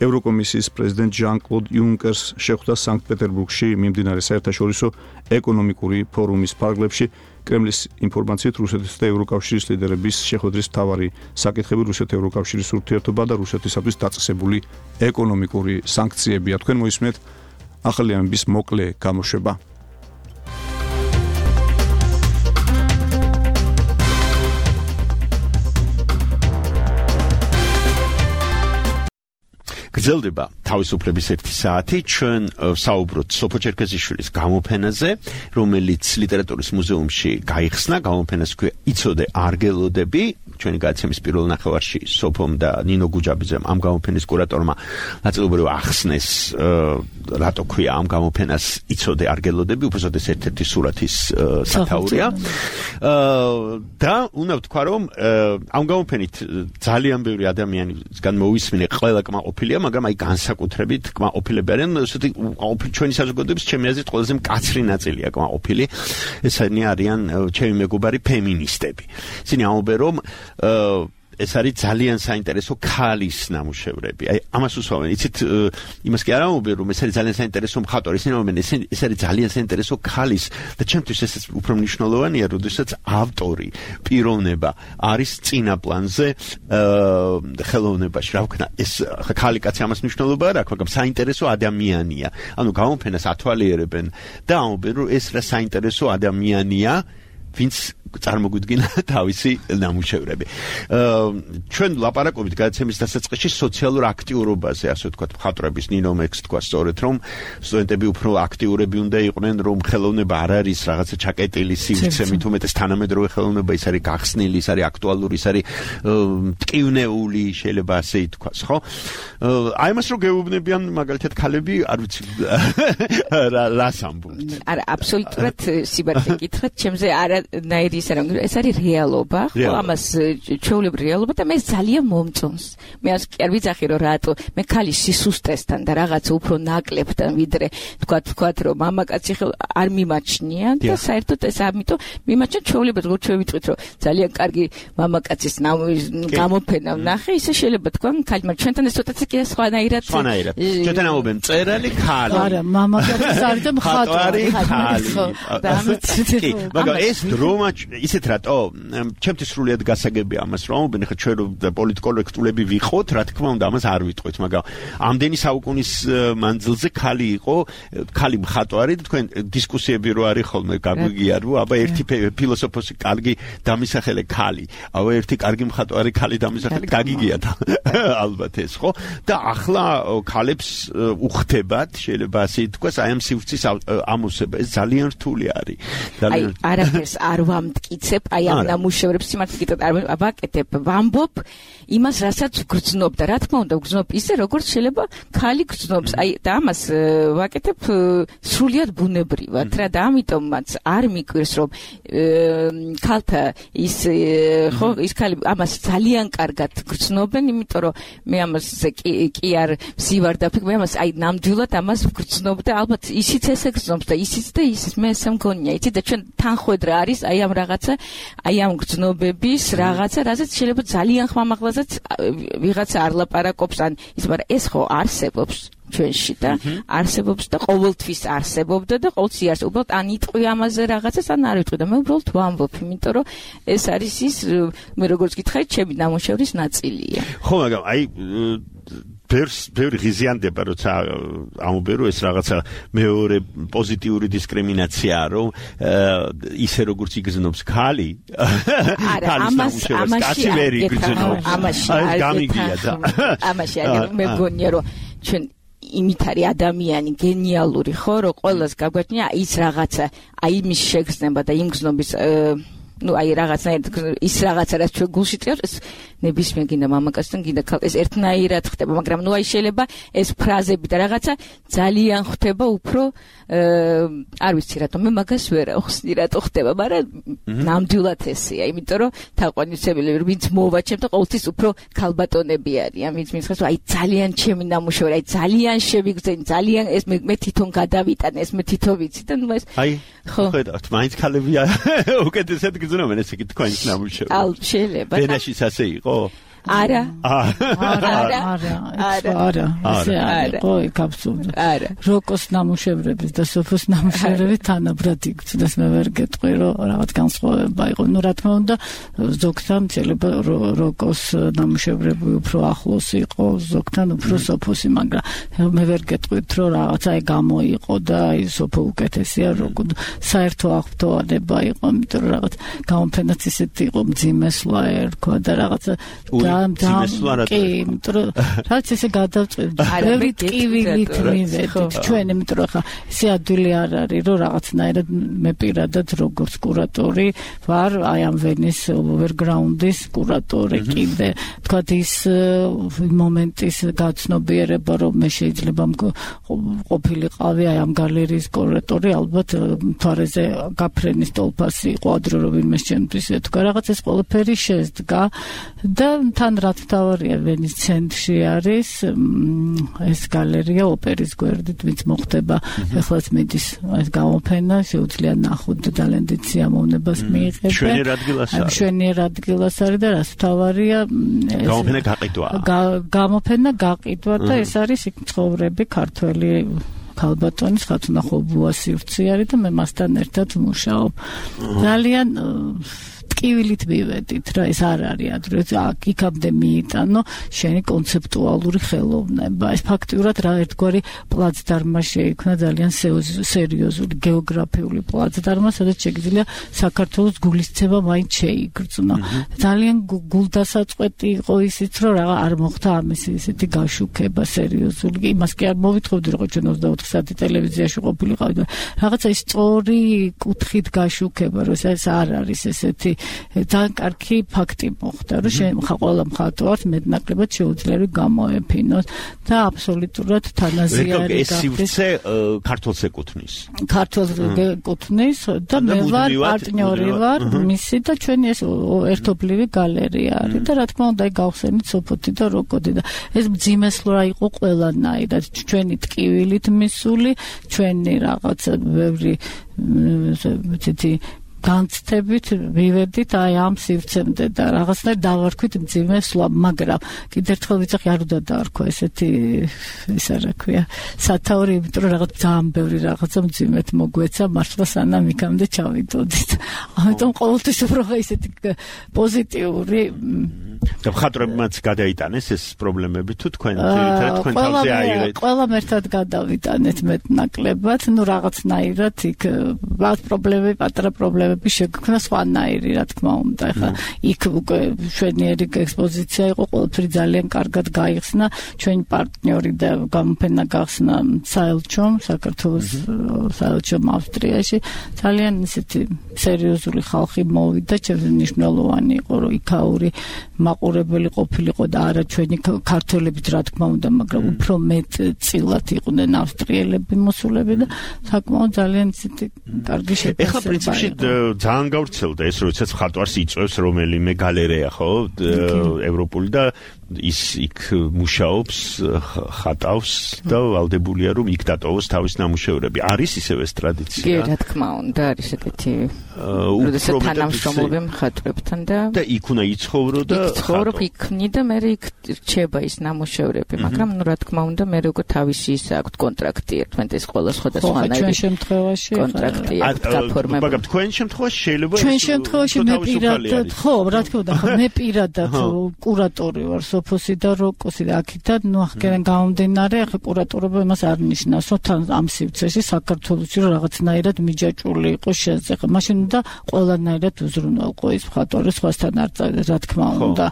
ევროკომისიის პრეზიდენტ ჟან-კლოდ იუნკერს შეხვდა სანქტ-პეტერბურგში მიმდინარე საერთაშორისო ეკონომიკური ფორუმის ფარგლებში. კრემლის ინფორმაციით რუსეთის და ევროკავშირის ლიდერების შეხვედრის მთავარი საკითხები რუსეთ-ევროკავშირის ურთიერთობა და რუსეთისათვის დაწესებული ეკონომიკური სანქციებია. თქვენ მოისმენთ ახალი ამბების მოკლე გამოშვება. გრძელდება თავისუფლების ერთი საათი. ჩვენ საუბრობთ სოფო ჩერქეზიშვილის გამოფენაზე, რომელიც ლიტერატურის მუზეუმში გაიხსნა. გამოფენას ქვია იცოდე არგელოდები. ჩვენი გადაცემის პირველ ნახევარში სოფომ და ნინო გუჯაბიძემ ამ გამოფენის კურატორმა ნაწილობრივ ახსნეს რატო ქვია ამ გამოფენას იცოდე არგელოდები, უბრალოდ ერთ-ერთი სურათის სათაურია. და უნდა ვთქვა, რომ ამ გამოფენით ძალიან ბევრი ადამიანისგან მოვისმინე ყველა კმაყოფილია, მაგრამ აი განსაკუთრებით კმაყოფილები არიან, ესეთი ჩვენი საზოგადოების ჩემი აზრით ყველაზე მკაცრი ნაწილია კმაყოფილი. ესენი არიან ჩემი მეგობარი ფემინისტები. ისინი ამბობენ, რომ ეს არის ძალიან საინტერესო ქალის ნამუშევრები. აი ამას უსვამენ. იცით, იმას კი არ ამბობენ, რომ ეს არის ძალიან საინტერესო მხატვარი. ისინი ამბობენ, ეს არის ძალიან საინტერესო ქალის და ჩემთვის ეს უფრო მნიშვნელოვანია, როდესაც ავტორი, პიროვნება არის წინა პლანზე ხელოვნებაში. რა ვქნა, ეს ქალი კაცი ამას მნიშვნელობა არ აქვს, მაგრამ საინტერესო ადამიანია. ანუ გამოფენას ათვალიერებენ და ამბობენ, რომ ეს რა საინტერესო ადამიანია, ვინც წარმოგვიდგინა თავისი ნამუშევრები. ჩვენ ლაპარაკობთ გადაცემის დასაწყისში სოციალურ აქტიურობაზე, ასე ვთქვათ, მხატვრების ნინო მექს თქვა სწორედ, რომ სტუდენტები უფრო აქტიურები უნდა იყვნენ, რომ ხელოვნება არ არის რაღაცა ჩაკეტილი სივრცე, მით უმეტეს თანამედროვე ხელოვნება, ის არის გახსნილი, ის არის აქტუალური, ის არის მტკივნეული, შეიძლება ასე ითქვას, ხო? აი ამას რო გეუბნებიან მაგალითად ქალები, არ ვიცი რას ამბობთ. არა, აბსოლუტურად სიბარდე გითხრათ, ჩემზე არანაირი ეს არის რეალობა, ხო, ამას ჩვეულებრივი რეალობა და მე ძალიან მომწონს. მე ας კი არ ვიცახი რომ რატო მე ქალის სისუსტესთან და რაღაცა უფრო ნაკლებთან ვიდრე თქვათ თქვათ რომ მამაკაცი არ მიმაჩნია და საერთოდ ეს ამიტომ მიმაჩნია ჩვეულებრივ როგორც ჩვენ ვიტყვით რომ ძალიან კარგი მამაკაცის გამოფენა ვნახე, ისე შეიძლება თქვა ქალმა ჩვენთან ეს ცოტა კიდე სხვანაირად სხვანაირად. ჩვენთან ამობენ მწერალი ქალი. არა, მამაკაცი არის და მხატვარი ქალი. და ამით მაგრამ ეს დრომა ისეთ რატო ჩემთვის სრულიად გასაგებია ამას რომ ამობენ ხა ჩვენ რომ პოლიტკორექტულები ვიყოთ, რა თქმა უნდა ამას არ ვიტყვით, მაგრამ ამდენი საუკუნის მანძილზე ქალი იყო, ქალი მხატვარი, თქვენ დისკუსიები რო არის ხოლმე გაგვიგია რომ აბა ერთი ფილოსოფოსი კარგი დამისახელე ქალი, აბა ერთი კარგი მხატვარი ქალი დამისახელე გაგიგიათ ალბათ ეს, ხო? და ახლა ქალებს უხდებათ, შეიძლება ასე ითქვას, აი ამ სივრცის ამოსება, ეს ძალიან რთული არის. აი არაფერს არ ვამტკიცებ, აი ამ ნამუშევრებს სიმართლე გითხრათ არ ვაკეთებ, ვამბობ იმას, რასაც ვგრძნობ და რა თქმა უნდა ვგრძნობ ისე, როგორც შეიძლება ქალი გრძნობს. აი და ამას ვაკეთებ სრულიად ბუნებრივად რა და ამიტომაც არ მიკვირს რომ ქალთა ის ხო ის ქალი ამას ძალიან კარგად გრძნობენ, იმიტომ რომ მე ამაზე კი კი არ ვსივარ და მე ამას აი ნამდვილად ამას ვგრძნობ და ალბათ ისიც ესე გრძნობს და ისიც და ისიც მე ესე მგონია, იცი და ჩვენ თანხვედრა არის აი ამ რაღაცა, აი ამ გრძნობების რაღაცა, რასაც შეიძლება ძალიან ხმამაღლაზეც ვიღაცა არ ლაპარაკობს ან ის, მაგრამ ეს ხო არსებობს ჩვენში და არსებობს და ყოველთვის არსებობდა და ყოველთვის არის. უბრალოდ ან იტყვი ამაზე რაღაცას, ან არ იტყვი და მე უბრალოდ ვამბობ, იმიტომ რომ ეს არის ის მე როგორც გითხარით, ჩემი ნამუშევრის ნაწილია. ხო, მაგრამ აი ბევრს ბევრი ღიზიანდება, როცა ამობერო ეს რაღაცა მეორე პოზიტიური დისკრიმინაციაა, რომ ისე როგორც იგრძნობს ქალი, ქალის ნამუშევრს კაცი ვერ იგრძნობს. ამაში არის ამაში არის მე მგონია რომ ჩვენ იმით არის ადამიანი გენიალური ხო, რომ ყველას გაგვაჩნია ის რაღაცა, აი იმის შეგრძნება და იმ გზნობის ну აი რაღაცნაირად ის რაღაცა რაც ჩვენ გულში წევს ეს ნებისმიერ გინდა მამაკაცთან გინდა ეს ერთნაირად ხდება, მაგრამ ну აი შეიძლება ეს ფრაზები და რაღაცა ძალიან ხდება უფრო არ ვიცი რატომ მე მაგას ვერ ახსნი რატო ხდება, მაგრამ ნამდვილად ესეა, იმიტომ რომ თაყვანისმცემელი ვინც მოვაჩემ და ყოველთვის უფრო ქალბატონები არიან, ვინც მითხეს აი ძალიან ჩემი ნამუშევარი, აი ძალიან შევიგრძენი, ძალიან ეს მე თვითონ გადავიტანე, ეს მე თვითონ ვიცი და ну ეს აი ხო ხედავთ მაინც ქალები უკეთესად გძნობენ ესე იგი თქვენს ნამუშევრს. ალ შეიძლება. ვენაშიც ასე იყო? არა. არა, არა, არა. ესე არა. ხო, იქ აბსოლუტურად. არა. როკოს ნამუშევრების და სოფოს ნამუშევრების თანაბრად იგრძნეს, მე ვერ გეტყვი, რომ რაღაც განსხვავება იყო. ნუ რა თქმა უნდა, ზოგთან შეიძლება როკოს ნამუშევრები უფრო ახლოს იყო, ზოგთან უფრო სოფოსი, მაგრამ მე ვერ გეტყვით, რომ რაღაც აი გამოიყო და აი სოფო უკეთესია, როკო საერთო აღფრთოვანება იყო, იმიტომ რომ რაღაც გამოფენაც ისეთი იყო, მძიმესლა ერქვა და რაღაცა კი, იმიტომ რომ რაც ესე გადავწყვეტ, ბევრი ტკივილით მივედით ჩვენ, იმიტომ რომ ხა ისე ადვილი არ არის, რომ რაღაცნაირად მე პირადად როგორც კურატორი ვარ, აი ამ ვენის ოვერგრაუნდის კურატორი კიდე, თქვათ ის მომენტის გაცნობიერება, რომ მე შეიძლება ყოფილიყავი აი ამ გალერეის კურატორი, ალბათ მთვარეზე გაფრენის ტოლფასი იყო ადრე რომ ვინმეს ჩემთვის ეთქვა, რაღაც ეს ყველაფერი შეძდგა და თან რაც თავარია ვენის ცენტრში არის ეს გალერეა ოპერის გვერდით, ვინც მოხდება ეხლაც მიდის ეს გამოფენა, შეუძლია ნახოთ და ძალიან დიდ სიამოვნებას მიიღებენ. შვენიერ ადგილას არის. შვენიერ ადგილას არის და რაც თავარია გამოფენა გაყიდვა. გამოფენა გაყიდვა და ეს არის იქ ცხოვრები ქართველი ქალბატონის ხათუნახობუა სივრცე არის და მე მასთან ერთად ვმუშაობ. ძალიან ტკივილით მივედით რა, ეს არ არის ადრე იქამდე მიიტანო შენი კონცეპტუალური ხელოვნება. ეს ფაქტიურად რა ერთგვარი პლაცდარმა შეიქმნა, ძალიან სერიოზული გეოგრაფიული პლაცდარმა, სადაც შეგიძლია საქართველოს გულისცემა მაინც შეიგრძნო. ძალიან გულდასაწყვეტი იყო ისიც, რომ რა არ მოხდა ამის ისეთი გაშუქება სერიოზული. იმას კი არ მოვითხოვდი, რომ ჩვენ ოცდაოთხ საათი ტელევიზიაში ყოფილიყავით, რაღაცა ის სწორი კუთხით გაშუქება, რომ ეს არ არის ესეთი ძალიან კარგი ფაქტი მოხდა, რომ შენ ყველა მხატვარს მეტნაკლებად შეუძლია გამოეფინოს და აბსოლუტურად თანაზიარი გახდეს. ეს სივრცე ქართულს ეკუთვნის. ქართულს ეკუთვნის და მე ვარ პარტნიორი ვარ მისი და ჩვენი ეს ერთობლივი გალერეა არის და რა თქმა უნდა გავხსენით სოფოთი და როკოდი და ეს მძიმესლურა იყო ყველანაირად, ჩვენი ტკივილით მისული, ჩვენი რაღაცა ბევრი ცეთი განცდებით მივედით აი ამ სივრცემდე და რაღაცნაირად დავარქვით მძიმესლა, მაგრამ კიდევ ერთხელ ვიცახი არ უნდა დაარქვა ესეთი ისა რა ქვია სათაური, იმიტომ რომ რაღაც ძალიან ბევრი რაღაცა მძიმედ მოგვეცა მართლა სანამ იქამდე ჩავიდოდით. ამიტომ ყოველთვის უფრო ესეთი პოზიტიური და მხატვრებმაც გადაიტანეს ეს პრობლემები თუ თქვენ თვითონ თქვენ თავზე აიღეთ? ყველამ ერთად გადავიტანეთ მეტნაკლებად, ნუ რაღაცნაირად იქ რაღაც პრობლემები, პატარა პრობლემები ნამუშევრები შეგვქნა სხვანაირი, რა თქმა უნდა. ეხლა იქ უკვე შვენიერი ექსპოზიცია იყო, ყველაფერი ძალიან კარგად გაიხსნა, ჩვენი პარტნიორი და გამოფენა გახსნა საელჩომ, საქართველოს საელჩომ ავსტრიაში. ძალიან ისეთი სერიოზული ხალხი მოვიდა, ჩემს მნიშვნელოვანი იყო, რომ იქაური მაყურებელი ყოფილიყო და არა ჩვენი ქართველებით, რა თქმა უნდა, მაგრამ უფრო მეტ წილად იყვნენ ავსტრიელები მოსულები და საკმაოდ ძალიან ისეთი კარგი შეფასება. ეხლა პრინციპში ძალიან გავრცელდა ეს, როდესაც მხატვარს იწვევს რომელიმე გალერეა, ხო, ევროპული და ის იქ მუშაობს, ხატავს და ვალდებულია რომ იქ დატოვოს თავის ნამუშევრები. არის ისევ ეს ტრადიცია? კი, რა თქმა უნდა, არის ეგეთი. როდესაც თანამშრომლობ მხატვრებთან და და იქ უნდა იცხოვრო და იცხოვრობ იქნი და მე იქ რჩება ის ნამუშევრები, მაგრამ ნუ რა თქმა უნდა მე როგორ თავისი ის აქვს კონტრაქტი, ერთმანეთის ყველა სხვადასხვანაირი. ჩვენ შემთხვევაში კონტრაქტი აქვს გაფორმებული. მაგრამ თქვენ შემთხვევაში შეიძლება ჩვენ შემთხვევაში მე პირადად, ხო, რა თქმა უნდა, მე პირადად კურატორი ვარ სოფოსი და როკოსი და აქედან ნუ ახლა გამომდინარე, ახლა კურატორობა იმას არ ნიშნავს, რომ თან ამ სივრცეში საქართველოში რაღაცნაირად მიჯაჭვული იყო შეზღ. მაშინ უნდა ყველანაირად უზრუნველყო ის მხატვარი სხვასთან არ რა თქმა უნდა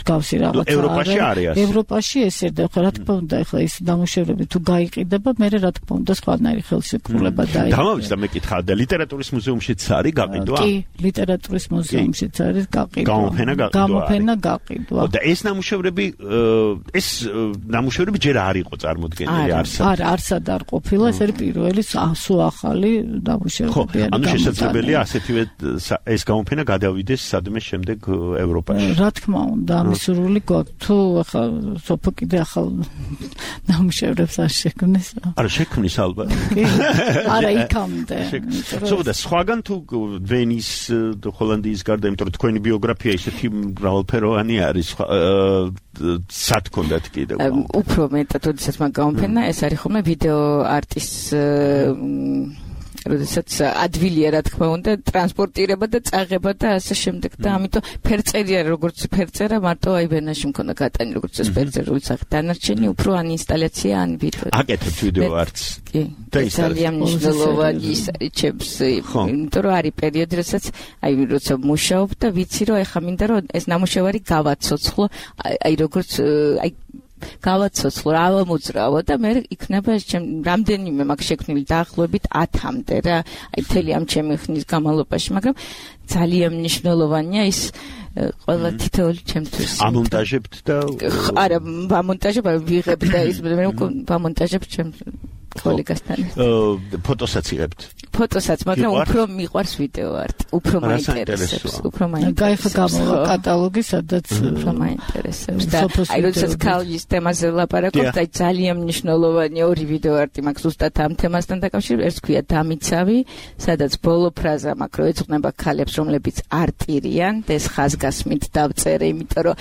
გავსი რაღაცა. ევროპაში არის. ევროპაში ესერდა, ხო, რა თქმა უნდა, ახლა ის ნამუშევრები თუ გაიყიდება, მე რა თქმა უნდა სხვანაირი ხელშეკრულება დაიწყო. გამოვიდა მეკითხა და ლიტერატურის მუზეუმშიც არის გაყიდვა? კი, ლიტერატურის მუზეუმშიც არის გაყიდვა. გამოფენა გაყიდვა. გამოფენა გაყიდვა. და ეს ნამუშევრები ეს ნამუშევრები ჯერ არ იყო წარმოდგენილი არსად. არა, არსად არ ყოფილა, ეს არის პირველი სულ ახალი ნამუშევრები. ანუ შესაძლებელია ასეთივე ეს გამოფენა გადავიდეს სადმე შემდეგ ევროპაში. რა თქმა უნდა, ამის სურვილი გვაქვს. თუ ახლა სოფო კიდე ახალ ნამუშევრებს არ შექმნის. არა, შექმნის ალბათ. კი. არა, იქამდე. სულ და სხვაგან თუ ვენის და ჰოლანდიის გარდა, იმიტომ რომ თქვენი ბიოგრაფია ისეთი მრავალფეროვანი არის, სად გქონდათ კიდევ? უფრო მეტად, როდესაც მაგ გამოფენა, ეს არის ხოლმე ვიდეო არტის როდესაც ადვილია რა თქმა უნდა ტრანსპორტირება და წაღება და ასე შემდეგ და ამიტომ ფერწერია როგორც ფერწერა მარტო აი ვენაში მქონდა გატანი როგორც ეს ფერწერული სახე დანარჩენი უფრო ან ინსტალაცია ან ვიდეო აკეთებთ ვიდეო არტს კი და ძალიან მნიშვნელოვანი ის ჩემს იმიტომ რომ არის პერიოდი როდესაც აი როცა მუშაობ და ვიცი რომ ეხა მინდა რომ ეს ნამუშევარი გავაცოცხლო აი როგორც აი გავაცოცხლო რა ამოძრავო და მე იქნება ჩემ რამდენიმე მაგ შექმნილი დაახლოებით ათამდე რა აი მთელი ამ ჩემი ხნის განმავლობაში მაგრამ ძალიან მნიშვნელოვანია ის ყველა თითოეული ჩემთვის ამონტაჟებთ და არა ამონტაჟებ ვიღებ და ის მე ამონტაჟებ ჩემ კოლეგასთან ფოტოსაც იღებთ ფოტოსაც მაგრამ უფრო მიყვარს ვიდეო არტი უფრო მაინტერესებს უფრო მაინტერესებს გაიხა გამოვა კატალოგი სადაც უფრო მაინტერესებს და აი როდესაც ქალის თემაზე ვლაპარაკობთ აი ძალიან მნიშვნელოვანი ორი ვიდეო არტი მაქვს ზუსტად ამ თემასთან დაკავშირებით ერთ ქვია დამიცავი სადაც ბოლო ფრაზა მაქვს რომ ეძღვნება ქალებს რომლებიც არ ტირიან და ეს ხაზგასმით დავწერე იმიტომ რომ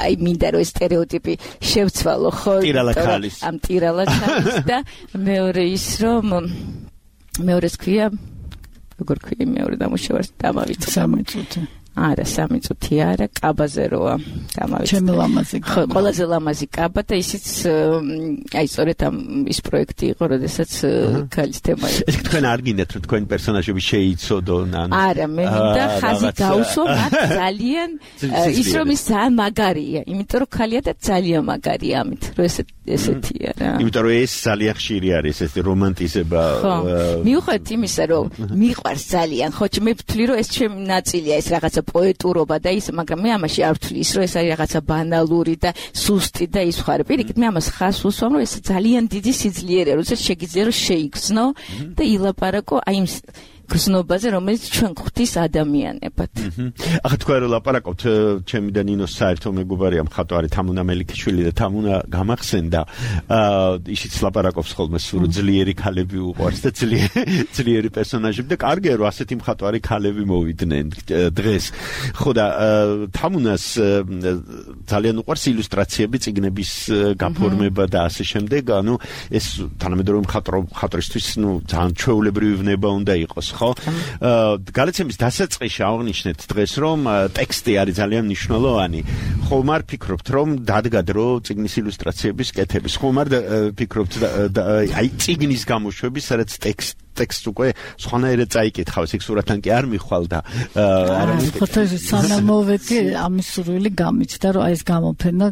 აი მინდა რომ ეს სტერეოტიპი შევცვალო ხო ტირალა ამ ტირალა ქალის და მეორე ის რომ მეორეს ქვია როგორ ქვია მეორე დამუშავარს დამავიწყე სამი წუთი არა სამი წუთი არა კაბაზე როა დამავიწყე ჩემი ლამაზი ხო ყველაზე ლამაზი კაბა და ისიც აი სწორედ ამ ის პროექტი იყო როდესაც ქალის თემა იყო ეს თქვენ არ გინდათ რომ თქვენი პერსონაჟები შეიცოდონ ან არა მე მინდა ხაზი გავუსვა მათ ძალიან ის რომ ის ძალიან მაგარია იმიტომ რომ ქალია და ძალიან მაგარია ამით რომ ესე ესეთია რა იმიტომ რომ ეს ძალიან ხშირი არის ეს რომანტიზება ხო მიუხედავად იმისა რომ მიყვარს ძალიან ხო მე ვთვლი რომ ეს ჩემი ნაწილია ეს რაღაცა პოეტურობა და ის მაგრამ მე ამაში არ ვთვლი ის რომ ეს არის რაღაცა ბანალური და სუსტი და ის ხარ პირიქით მე ამას ხას უსვამ რომ ეს ძალიან დიდი სიძლიერეა როდესაც შეგიძლია რომ შეიგრძნო და ილაპარაკო აი იმ გზნობაზე რომელიც ჩვენ ხვდის ადამიანებად. ახლა თქვენ რომ ლაპარაკობთ ჩემი და ნინოს საერთო მეგობარია მხატვარი თამუნა მელიქიშვილი და თამუნა გამახსენდა ისიც ლაპარაკობს ხოლმე სულ ძლიერი ქალები უყვარს და ძლიერი პერსონაჟები და კარგია რომ ასეთი მხატვარი ქალები მოვიდნენ დღეს. ხო და თამუნას ძალიან უყვარს ილუსტრაციები წიგნების გაფორმება და ასე შემდეგ ანუ ეს თანამედროვე მხატვრისთვის ნუ ძალიან ჩვეულებრივი ვნება უნდა იყოს. ხო გალაცემის დასაწყისში აღნიშნეთ დღეს რომ ტექსტი არის ძალიან მნიშვნელოვანი ხომ არ ფიქრობთ რომ დადგად რომ წიგნის ილუსტრაციების კეთების ხომ არ ფიქრობთ აი წიგნის გამოშვების სადაც ტექსტ ტექსტს უკვე სხვანაირად წაიკითხავს, იქ სურათთან კი არ მიხვალ და არა ხო სანამ მოვედი ამის სურვილი გამიჩნდა რომ აი ეს გამოფენა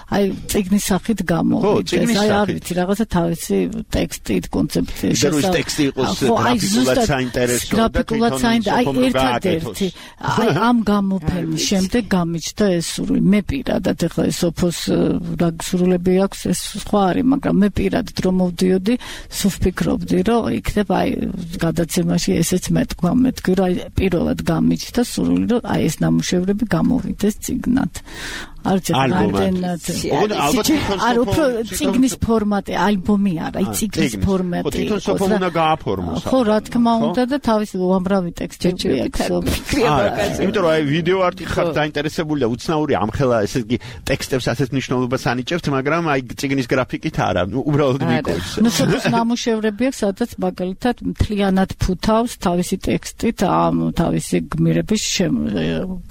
აი წიგნის სახით გამოვიდეს აი არ ვიცი რაღაცა თავისი ტექსტით კონცეფციით შესაძლოა ტექსტი იყოს გრაფიკულად საინტერესო და გრაფიკულად საინტერესო აი ერთადერთი აი ამ გამოფენის შემდეგ გამიჩნდა ეს სურვილი მე პირადად ეხლა ეს სოფოს რა სურვილები აქვს ეს სხვა არის მაგრამ მე პირადად რომ მოვდიოდი სულ ვფიქრობდი რომ იქნება აი გადაცემაში ესეც მეთქვა მეთქი რომ აი პირველად გამიჩნდა სურვილი რომ აი ეს ნამუშევრები გამოვიდეს წიგნად არც რამდენად არ უფრო წიგნის ფორმატი ალბომი არა აი წიგნის ფორმატი ხო თვითონ უნდა გააფორმოს ხო რა თქმა უნდა და თავის უამრავი ტექსტები აქვს იმიტომ რომ აი ვიდეო არტი ხარ დაინტერესებული და უცნაური ამხელა ესე იგი ტექსტებს ასეთ მნიშვნელობას ანიჭებთ მაგრამ აი წიგნის გრაფიკით არა უბრალოდ მიკოჩს ნუ სოფოს ნამუშევრები აქვს სადაც მაგალითად მთლიანად ფუთავს თავისი ტექსტით ამ თავისი გმირების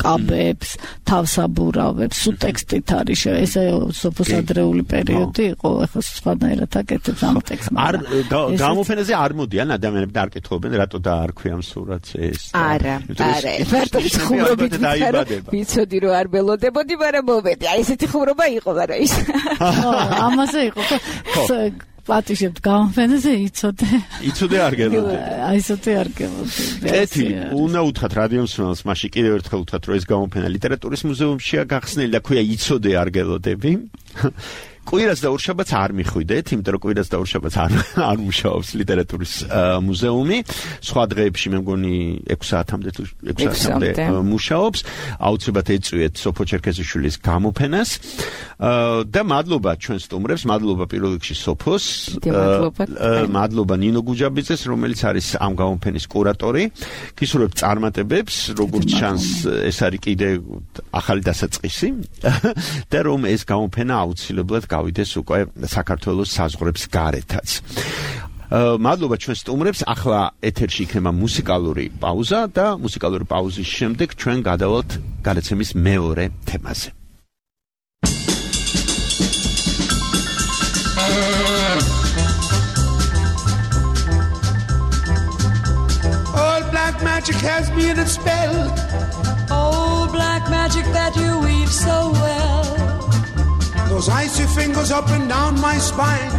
კაბებს თავსაბურავებს ტექსტით არის ესე სოფოს ადრეული პერიოდი იყო ახლა სხვანაირად აკეთებს ამ ტექსტს არ გამოფენაზე არ მოდიან ადამიანები და არ კითხულობენ რატო დაარქვი ამ სურათს ეს არა არა მარტო ხუმრობით ვიცოდი რომ არ ველოდებოდი მაგრამ მოვედი აი ესეთი ხუმრობა იყო მაგრამ ის ამაზე იყო ხო პატიშებთ გამოფენაზე იცოდე იცოდე არ გელოდი აი ისეთი არ გელოდი ეთი უნდა უთხრათ რადიო მსმენელს მაშინ კიდევ ერთხელ უთხრათ რომ ეს გამოფენა ლიტერატურის მუზეუმშია გახსნილი და ქვია იცოდე არ გელოდები კვირას და ორშაბათს არ მიხვიდეთ, იმიტომ რომ კვირას და ორშაბათს არ არ მუშაობს ლიტერატურის მუზეუმი. სხვა დღეებში მე მგონი ექვსი საათამდე თუ ექვსი საათამდე მუშაობს. აუცილებლად ეწვიეთ სოფო ჩერქეზიშვილის გამოფენას. და მადლობა ჩვენ სტუმრებს, მადლობა პირველ რიგში სოფოს. მადლობა ნინო გუჯაბიძეს, რომელიც არის ამ გამოფენის კურატორი. გისურვებ წარმატებებს, როგორც ჩანს, ეს არის კიდე ახალი დასაწყისი და რომ ეს გამოფენა აუცილებლად გავიდეს უკვე საქართველოს საზღვრებს გარეთაც. მადლობა ჩვენ სტუმრებს. ახლა ეთერში იქნება მუსიკალური პაუზა და მუსიკალური პაუზის შემდეგ ჩვენ გადავალთ გადაცემის მეორე თემაზე. All black magic has me in its spell. Oh, black magic that you weave so well. Those icy fingers up and down my spine.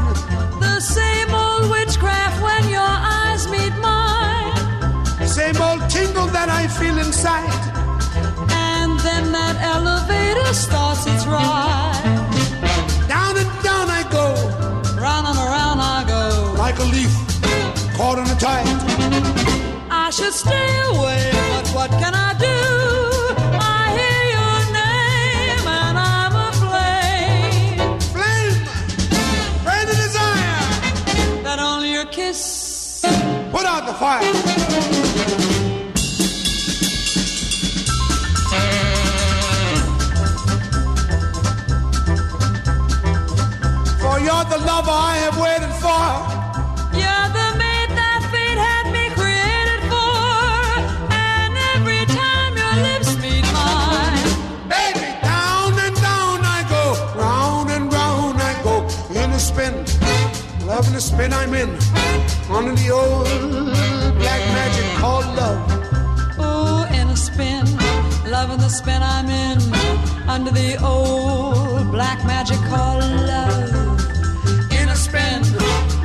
The same old witchcraft when your eyes meet mine. Same old tingle that I feel inside. And then that elevator starts its ride. Down and down I go. Round and around I go. Like a leaf caught in a tide. I should stay away, but what can I do? I hear your name and I'm aflame. Flame, burn the desire. That only your kiss put out the fire. For you're the lover I have waited for. You're the mate that fate had me created for. And every time your lips meet mine, Baby, down and down I go. Round and round I go. In a spin, love in the spin I'm in. Under the old black magic called love. oh, in a spin, love in the spin I'm in. Under the old black magic called love. In a spin,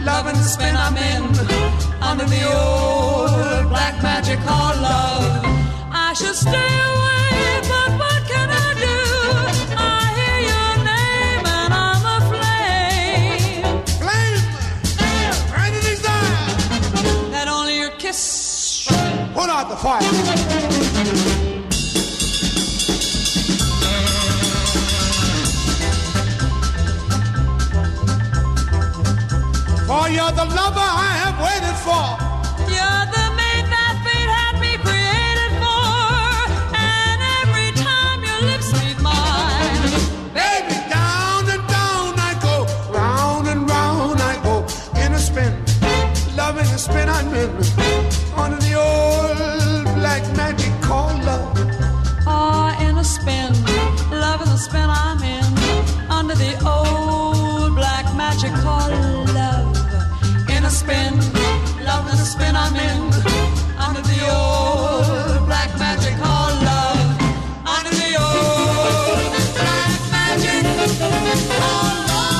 Love in the spin I'm in. Under the old black magic called love. I should stay away, but what can I do? I hear your name and I'm aflame. flame, burn the desire. That only your kiss Put out the fire. For you're the lover I have waited for. You're the mate that fate had me created for. And every time your lips meet mine, Baby, down and down I go. Round and round I go. In a spin, love in the spin I'm in. Under the old black magic called love. ah, in a spin, love in the spin I'm in. Under the old black magic called love. In a spin, loving the spin I'm in. Under the old black magic called love. Under the old black magic called love.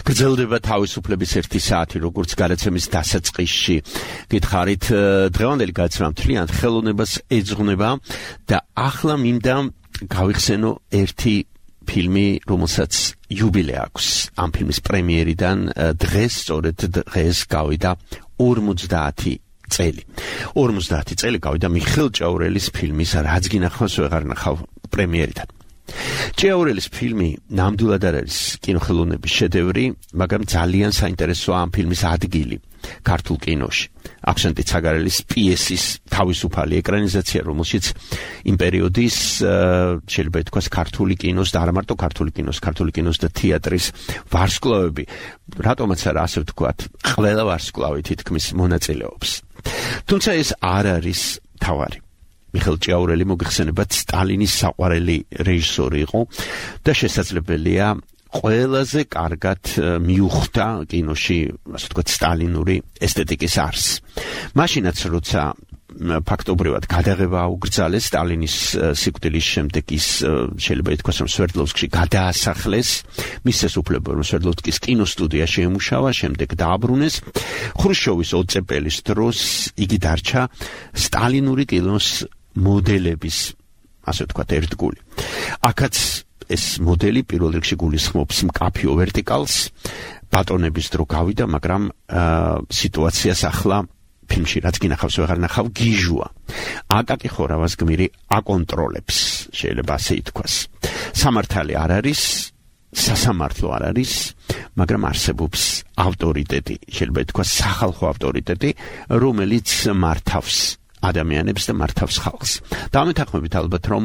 გრძელდება თავისუფლების ერთი საათი, როგორც გადაცემის დასაწყისში გითხარით, დღევანდელი გადაცემა მთლიან ხელოვნებას ეძღვნება და ახლა მინდა გავიხსენო ერთი ფილმი, რომელსაც იუბილე აქვს. ამ ფილმის პრემიერიდან დღეს, სწორედ დღეს გავიდა ორმოცდაათი წელი. ორმოცდაათი წელი გავიდა მიხეილ ჭიაურელის ფილმის რაც გინახავს ვეღარ ნახავ პრემიერიდან. ჭიაურელის ფილმი ნამდვილად არ არის კინოხელოვნების შედევრი, მაგრამ ძალიან საინტერესოა ამ ფილმის ადგილი ქართულ კინოში. აქსენტი ცაგარელის პიესის თავისუფალი ეკრანიზაცია, რომელშიც იმ პერიოდის შეიძლება ითქვას ქართული კინოს და არა მარტო ქართული კინოს, ქართული კინოს და თეატრის ვარსკვლავები, რატომაც არა ასე ვთქვათ, ყველა ვარსკვლავი თითქმის მონაწილეობს. თუმცა ეს არ არის თავარი. მიხეილ ჭიაურელი მოგეხსენებათ სტალინის საყვარელი რეჟისორი იყო და შესაძლებელია ყველაზე კარგად მიუხვდა კინოში, ასე ვთქვათ, სტალინური ესთეტიკის არსს. მაშინაც როცა ფაქტობრივად გადაღება აუგრძალეს სტალინის სიკვდილის შემდეგ, ის შეიძლება ითქვას, რომ სვერდლოვსკში გადაასახლეს, მის შესაძლებლობა რომ სვერდლოვსკის კინოსტუდია შეემუშავა, შემდეგ დააბრუნეს. ხრუშჩოვის ოწეპელის დროს იგი დარჩა სტალინური კინოს მოდელების, ასე ვთქვათ, ერთგული. აქაც ეს მოდელი პირველ რიგში გულისხმობს მკაფიო ვერტიკალს, ბატონების დრო გავიდა, მაგრამ სიტუაციას ახლა ფილმში რაც გინახავს ვეღარ ნახავ გიჟუა. აკაკი ხორავას გმირი აკონტროლებს, შეიძლება ასე ითქვას. სამართალი არ არის, სასამართლო არ არის, მაგრამ არსებობს ავტორიტეტი, შეიძლება ითქვას სახალხო ავტორიტეტი, რომელიც მართავს ადამიანებს და მართავს ხალხს. დამეთანხმებით ალბათ, რომ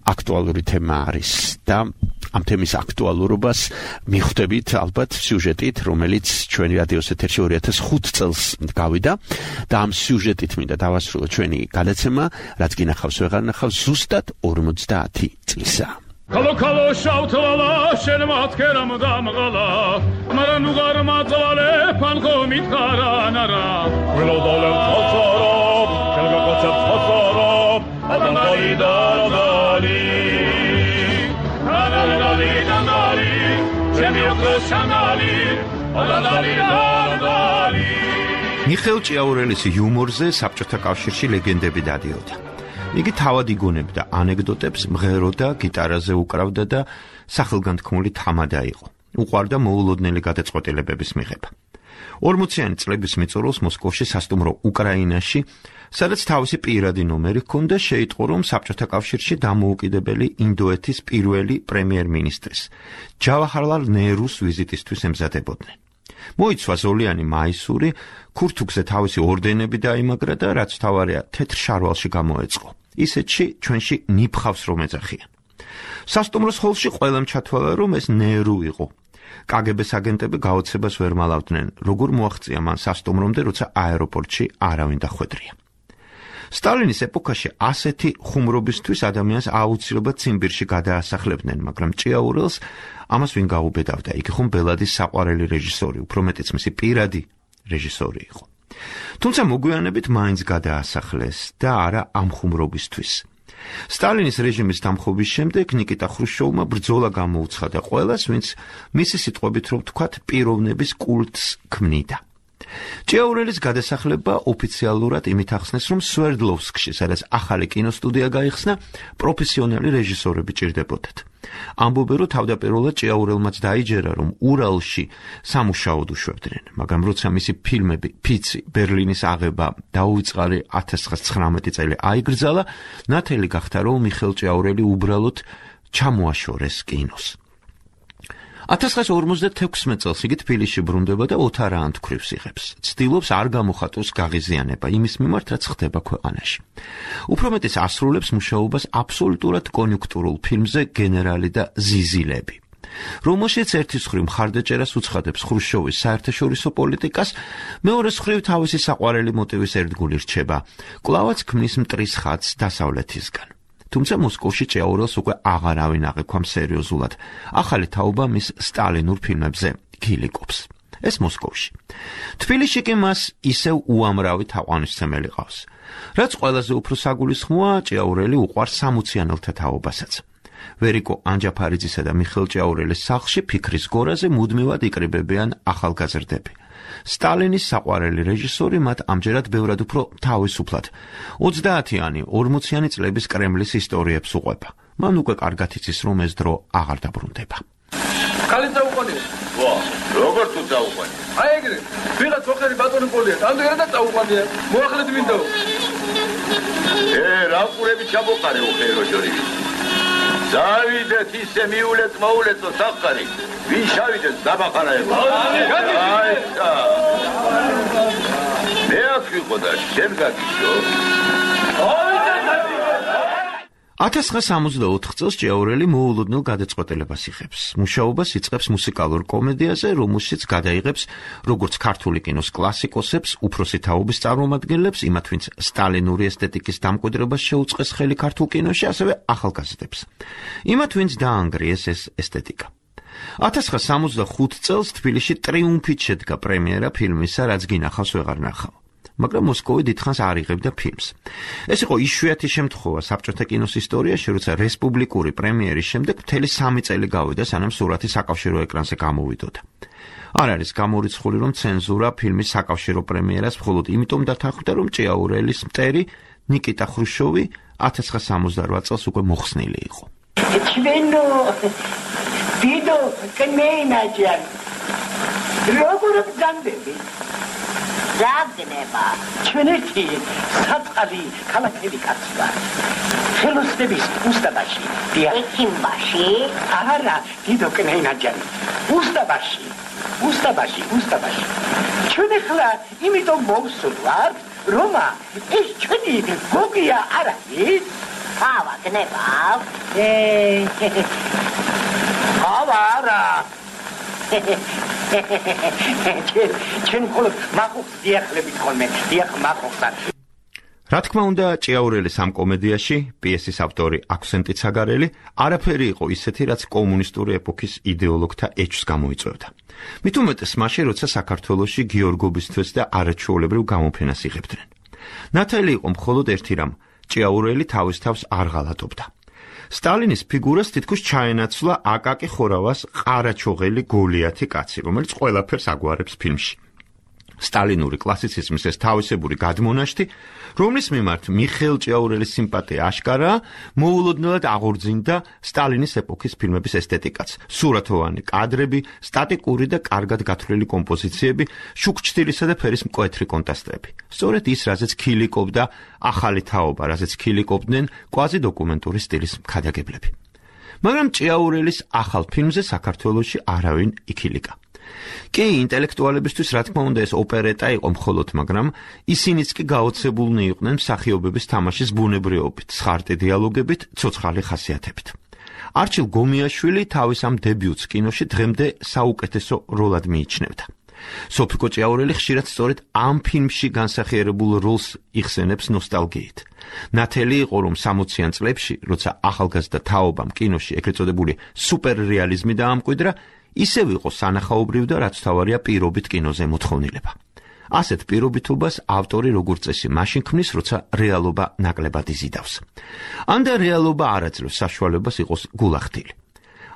აქტუალური თემა არის და ამ თემის აქტუალურობას მიხვდებით ალბათ სიუჟეტით, რომელიც ჩვენი რადიოს ეთერში ორი ათას ხუთი წელს გავიდა და ამ სიუჟეტით მინდა დავასრულო ჩვენი გადაცემა, რაც გინახავს ვეღარ ნახავს, ზუსტად ორმოცდაათი წლისა. Kalo kalo şavtala şen matkeram damgala Maran ugar matzale panko mitkaranara Velo dolem tazarab Kelga koçep tazarab Adam dali daradali Dali dali dali Çemi yoktu şandali Adam dali daradali მიხეილ ჭიაურელის იუმორზე საბჭოთა კავშირში ლეგენდები დადიოდა. იგი თავად იგონებდა ანეკდოტებს, მღეროდა, გიტარაზე უკრავდა და სახელგანთქმული თამადა იყო. უყვარდა მოულოდნელი გადაწყვეტილებების მიღება. ორმოციანი წლების მიწურულს მოსკოვში სასტუმრო უკრაინაში, სადაც თავისი პირადი ნომერი ჰქონდა, შეიტყო, რომ საბჭოთა კავშირში დამოუკიდებელი ინდოეთის პირველი პრემიერ-მინისტრის, ჯავაჰარლალ ნერუს ვიზიტისთვის ემზადებოდნენ. მოიცვა ზოლიანი მაისური, ქურთუქზე თავისი ორდენები დაიმაგრა და რაც თავარია თეთრ შარვალში გამოეწყო. ისეთში ჩვენში ნიფხავს რომ ეძახიან. სასტუმროს ჰოლში ყველამ ჩათვალა, რომ ეს ნერუ იყო. კაგებეს აგენტები გაოცებას ვერ მალავდნენ, როგორ მოაღწია მან სასტუმრომდე, როცა აეროპორტში არავინ დახვედრია. სტალინის ეპოქაში ასეთი ხუმრობისთვის ადამიანს აუცილებლად ციმბირში გადაასახლებდნენ, მაგრამ ჭიაურელს ამას ვინ გაუბედავდა, იგი ხომ ბელადის საყვარელი რეჟისორი, უფრო მეტიც მისი პირადი რეჟისორი იყო. თუმცა მოგვიანებით მაინც გადაასახლეს და არა ამ ხუმრობისთვის. სტალინის რეჟიმის დამხობის შემდეგ ნიკიტა ხრუშჩოვმა ბრძოლა გამოუცხადა ყველას, ვინც მისი სიტყვებით რომ ვთქვათ, პიროვნების კულტს ქმნიდა. ჭიაურელის გადასახლება ოფიციალურად იმით ახსნეს, რომ სვერდლოვსკში, სადაც ახალი კინოსტუდია გაიხსნა, პროფესიონალი რეჟისორები ჭირდებოდათ. ამბობენ, რომ თავდაპირველად ჭიაურელმაც დაიჯერა, რომ ურალში სამუშაოდ უშვებდნენ, მაგრამ როცა მისი ფილმები ფიცი, ბერლინის აღება დაუვიწყარი ათას ცხრაასი ცხრამეტი წელი აიგრძალა, ნათელი გახდა, რომ მიხეილ ჭიაურელი უბრალოდ ჩამოაშორეს კინოს. ათას ცხრაასი ორმოცდათექვსმეტ წელს იგი თბილისში ბრუნდება და ოთარ ანთქვრივს იღებს. ცდილობს არ გამოხატოს გაღიზიანება იმის მიმართ, რაც ხდება ქვეყანაში. უფრო მეტის ასრულებს მუშაობას აბსოლუტურად კონიუნქტურულ ფილმზე გენერალი და ზიზილები. რომელშიც ერთის მხრივ მხარდაჭერას უცხადებს ხრუშჩოვის საერთაშორისო პოლიტიკას, მეორეს მხრივ თავისი საყვარელი მოტივის ერთგული რჩება, კვლავაც ქმნის მტრის ხატს დასავლეთისგან. თუმცა მოსკოვში ჭიაურელს უკვე აღარავინ აღიქვამ სერიოზულად. ახალი თაობა მის სტალინურ ფილმებზე გილიკობს. ეს მოსკოვში. თბილისში კი მას ისევ უამრავი თაყვანისმცემელი ყავს. რაც ყველაზე უფრო საგულისხმოა, ჭიაურელი უყვარს სამოციანელთა თაობასაც. ვერიკო ანჯაფარიძისა და მიხეილ ჭიაურელის სახლში ფიქრის გორაზე მუდმივად იკრიბებიან ახალგაზრდები. სტალინის საყვარელი რეჟისორი მათ ამჯერად ბევრად უფრო თავისუფლად ოცდაათიანი ორმოციანი წლების კრემლის ისტორიებს უყვება. მან უკვე კარგად იცის, რომ ეს დრო აღარ დაბრუნდება. კალით დაუყანია. ვა, როგორ თუ დაუყანია? აი ეგრე, ვიღაც ოხერი ბატონი პოლია, ამდენად დაუყანია. მოახლედ მინდაო. ე, რა ყურები ჩამოყარე ოხერო ჯორი. დავიდეთ ისე მიულეთ მოულეთო საფხარი. ვინ შავიდეთ დაბახანაება. აი და. მე აქ ვიყო და შენ გაგიშო. ათას ცხრაასა სამოცდაოთხ წელს ჭიაურელი მოულოდნელ გადაწყვეტილებას იღებს. მუშაობას იწყებს მუსიკალურ კომედიაზე, რომელშიც გადაიღებს როგორც ქართული კინოს კლასიკოსებს, უფროსი თაობის წარმომადგენლებს, იმათ ვინც სტალინური ესთეტიკის დამკვიდრებას შეუწყეს ხელი ქართულ კინოში, ასევე ახალგაზრდებს. იმათ ვინც დაანგრიეს ეს ესთეტიკა. ათას ცხრაასა სამოცდახუთ წელს თბილისში ტრიუმფით შედგა პრემიერა ფილმისა, რაც გინახავს ვეღარ ნახავ. მაგრამ მოსკოვი დიდხანს არ იღებდა ფილმს. ეს იყო იშვიათი შემთხვევა საბჭოთა კინოს ისტორიაში, როცა რესპუბლიკური პრემიერის შემდეგ მთელი სამი წელი გავიდა, სანამ სურათი საკავშირო ეკრანზე გამოვიდოდა. არ არის გამორიცხული, რომ ცენზურა ფილმის საკავშირო პრემიერას მხოლოდ იმიტომ დათანხმდა, რომ ჭიაურელის მტერი ნიკიტა ხრუშოვი ათას ცხრაასა სამოცდარვა წელს უკვე მოხსნილი იყო. ჩვენო დიდო კნეინაჯან როგორ გამდები ზაგნება ჩვენეთი საწყალი ქალაქები კაცვა ხელოსნების უსტაბაში დიახიმბაში არა დიდო კნეინაჯანი უსტაბაში უსტაბაში უსტაბაში ჩვენ ახლა იმიტომ მოვსვლართ რომ ეს ჩვენი გოგია არ არის ავა გნება ე ავა არა ჩვენ მხოლოდ მაყუხს დიახლებით ხოლმე დიახ მაყუხსა რა თქმა უნდა ჭიაურელის ამ კომედიაში პიესის ავტორი აქვსენტი ცაგარელი არაფერი იყო ისეთი, რაც კომუნისტური ეპოქის იდეოლოგთა ეჭვს გამოიწვევდა. მით უმეტეს მაშინ, როცა საქართველოში გიორგობისთვის და არაჩვეულებრივ გამოფენას იღებდნენ. ნათელი იყო მხოლოდ ერთი რამ, ჭიაურელი თავის თავს არ ღალატობდა. სტალინის ფიგურას თითქოს ჩაენაცვლა აკაკი ხორავას ყარაჩოღელი გოლიათი კაცი, რომელიც ყველაფერს აგვარებს ფილმში. სტალინური კლასიციზმის ეს თავისებური გადმონაშთი, რომლის მიმართ მიხეილ ჭიაურელის სიმპათია აშკარაა, მოულოდნელად აღორძინდა სტალინის ეპოქის ფილმების ესთეტიკაც. სურათოვანი კადრები, სტატიკური და კარგად გათვლილი კომპოზიციები, შუქჩთილისა და ფერის მკვეთრი კონტრასტები. სწორედ ის, რაზეც ქილიკობდა ახალი თაობა, რაზეც ქილიკობდნენ კვაზიდოკუმენტური სტილის მქადაგებლები. მაგრამ ჭიაურელის ახალ ფილმზე საქართველოში არავინ იქილიკა. კი, ინტელექტუალებისთვის რა თქმა უნდა ეს ოპერეტა იყო მხოლოდ, მაგრამ ისინიც კი გაოცებულნი იყვნენ მსახიობების თამაშის ბუნებრიობით, ცხარტი დიალოგებით, ცოცხალი ხასიათებით. არჩილ გომიაშვილი თავის ამ დებიუტს კინოში დღემდე საუკეთესო როლად მიიჩნევდა. სოფიკო ჭიაურელი ხშირად სწორედ ამ ფილმში განსახიერებულ როლს იხსენებს ნოსტალგიით. ნათელი იყო, რომ სამოციან წლებში, როცა ახალგაზრდა თაობამ კინოში ეგრეთ წოდებული სუპერრეალიზმი დაამკვიდრა, ისევ იყო სანახაობრივ და რაც თავარია პირობით კინოზე მოთხოვნილება. ასეთ პირობითობას ავტორი როგორც წესი მაშინ ქმნის, როცა რეალობა ნაკლებად იზიდავს. ან და რეალობა არ აძლევს საშუალებას იყოს გულახდილი.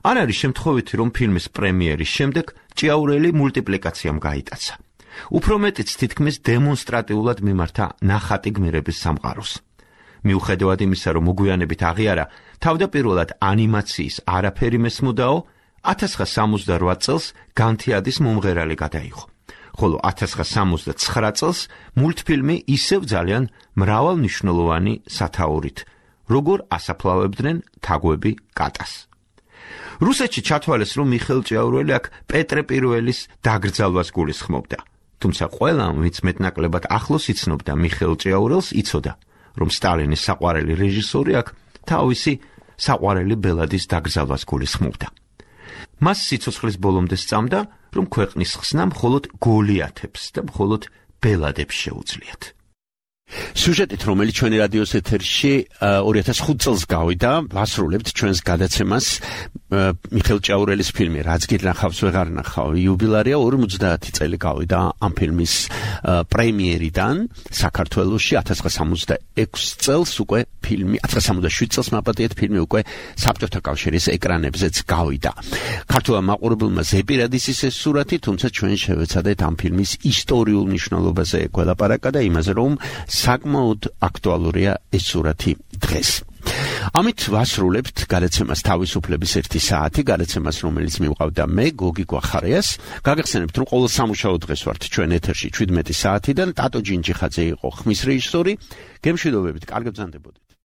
არ არის შემთხვევითი, რომ ფილმის პრემიერის შემდეგ ჭიაურელი მულტიპლიკაციამ გაიტაცა. უფრო მეტიც თითქმის დემონსტრატიულად მიმართა ნახატი გმირების სამყაროს. მიუხედავად იმისა, რომ მოგვიანებით აღიარა თავდაპირველად ანიმაციის არაფერი მესმოდაო, ათას ცხრაასა სამოცდარვა წელს განთიადის მომღერალი გადაიღო. ხოლო ათას ცხრაასა სამოცდაცხრა წელს მულტფილმი ისევ ძალიან მრავალმნიშვნელოვანი სათაურით, როგორ ასაფლავებდნენ თაგვები კატას. რუსეთში ჩათვალეს, რომ მიხეილ ჭიაურელი აქ პეტრე პირველის დაკრძალვას გულისხმობდა. თუმცა ყველამ, ვინც მეტნაკლებად ახლოს იცნობდა მიხეილ ჭიაურელს, იცოდა, რომ სტალინის საყვარელი რეჟისორი აქ თავისი საყვარელი ბელადის დაკრძალვას გულისხმობდა. მას სიცოცხლის ბოლომდე სწამდა, რომ ქვეყნის ხსნა მხოლოდ გოლიათებს და მხოლოდ ბელადებს შეუძლიათ. სიუჟეტით, რომელიც ჩვენი რადიოს ეთერში ორი ათას ხუთი წელს გავიდა, ვასრულებთ ჩვენს გადაცემას მიხეილ ჭიაურელის ფილმი რაც გინახავს ვეღარ ნახავ. იუბილარია ორმოცდაათი წელი გავიდა ამ ფილმის პრემიერიდან საქართველოში ათას ცხრაასა სამოცდაექვსი წელს უკვე ფილმი ათას ცხრაასა სამოცდაშვიდი წელს მაპატიეთ ფილმი უკვე საბჭოთა კავშირის ეკრანებზეც გავიდა. ქართულმა მაყურებელმა ზეპირადის ის სურათი, თუმცა ჩვენ შევეცადეთ ამ ფილმის ისტორიულ მნიშვნელობაზე გველაპარაკა და იმაზე რომ საკმაოდ აქტუალურია ეს სურათი დღეს. ამით ვასრულებთ გადაცემას თავისუფლების ერთი საათი, გადაცემას რომელიც მივყავდა მე გოგი გვახარიას. გაგახსენებთ რომ ყოველ სამუშაო დღეს ვართ ჩვენ ეთერში შვიდმეტი საათიდან. ტატო ჯინჯიხაძე იყო ხმის რეჟისორი. გემშვიდობებით, კარგად ბრძანდებოდეთ.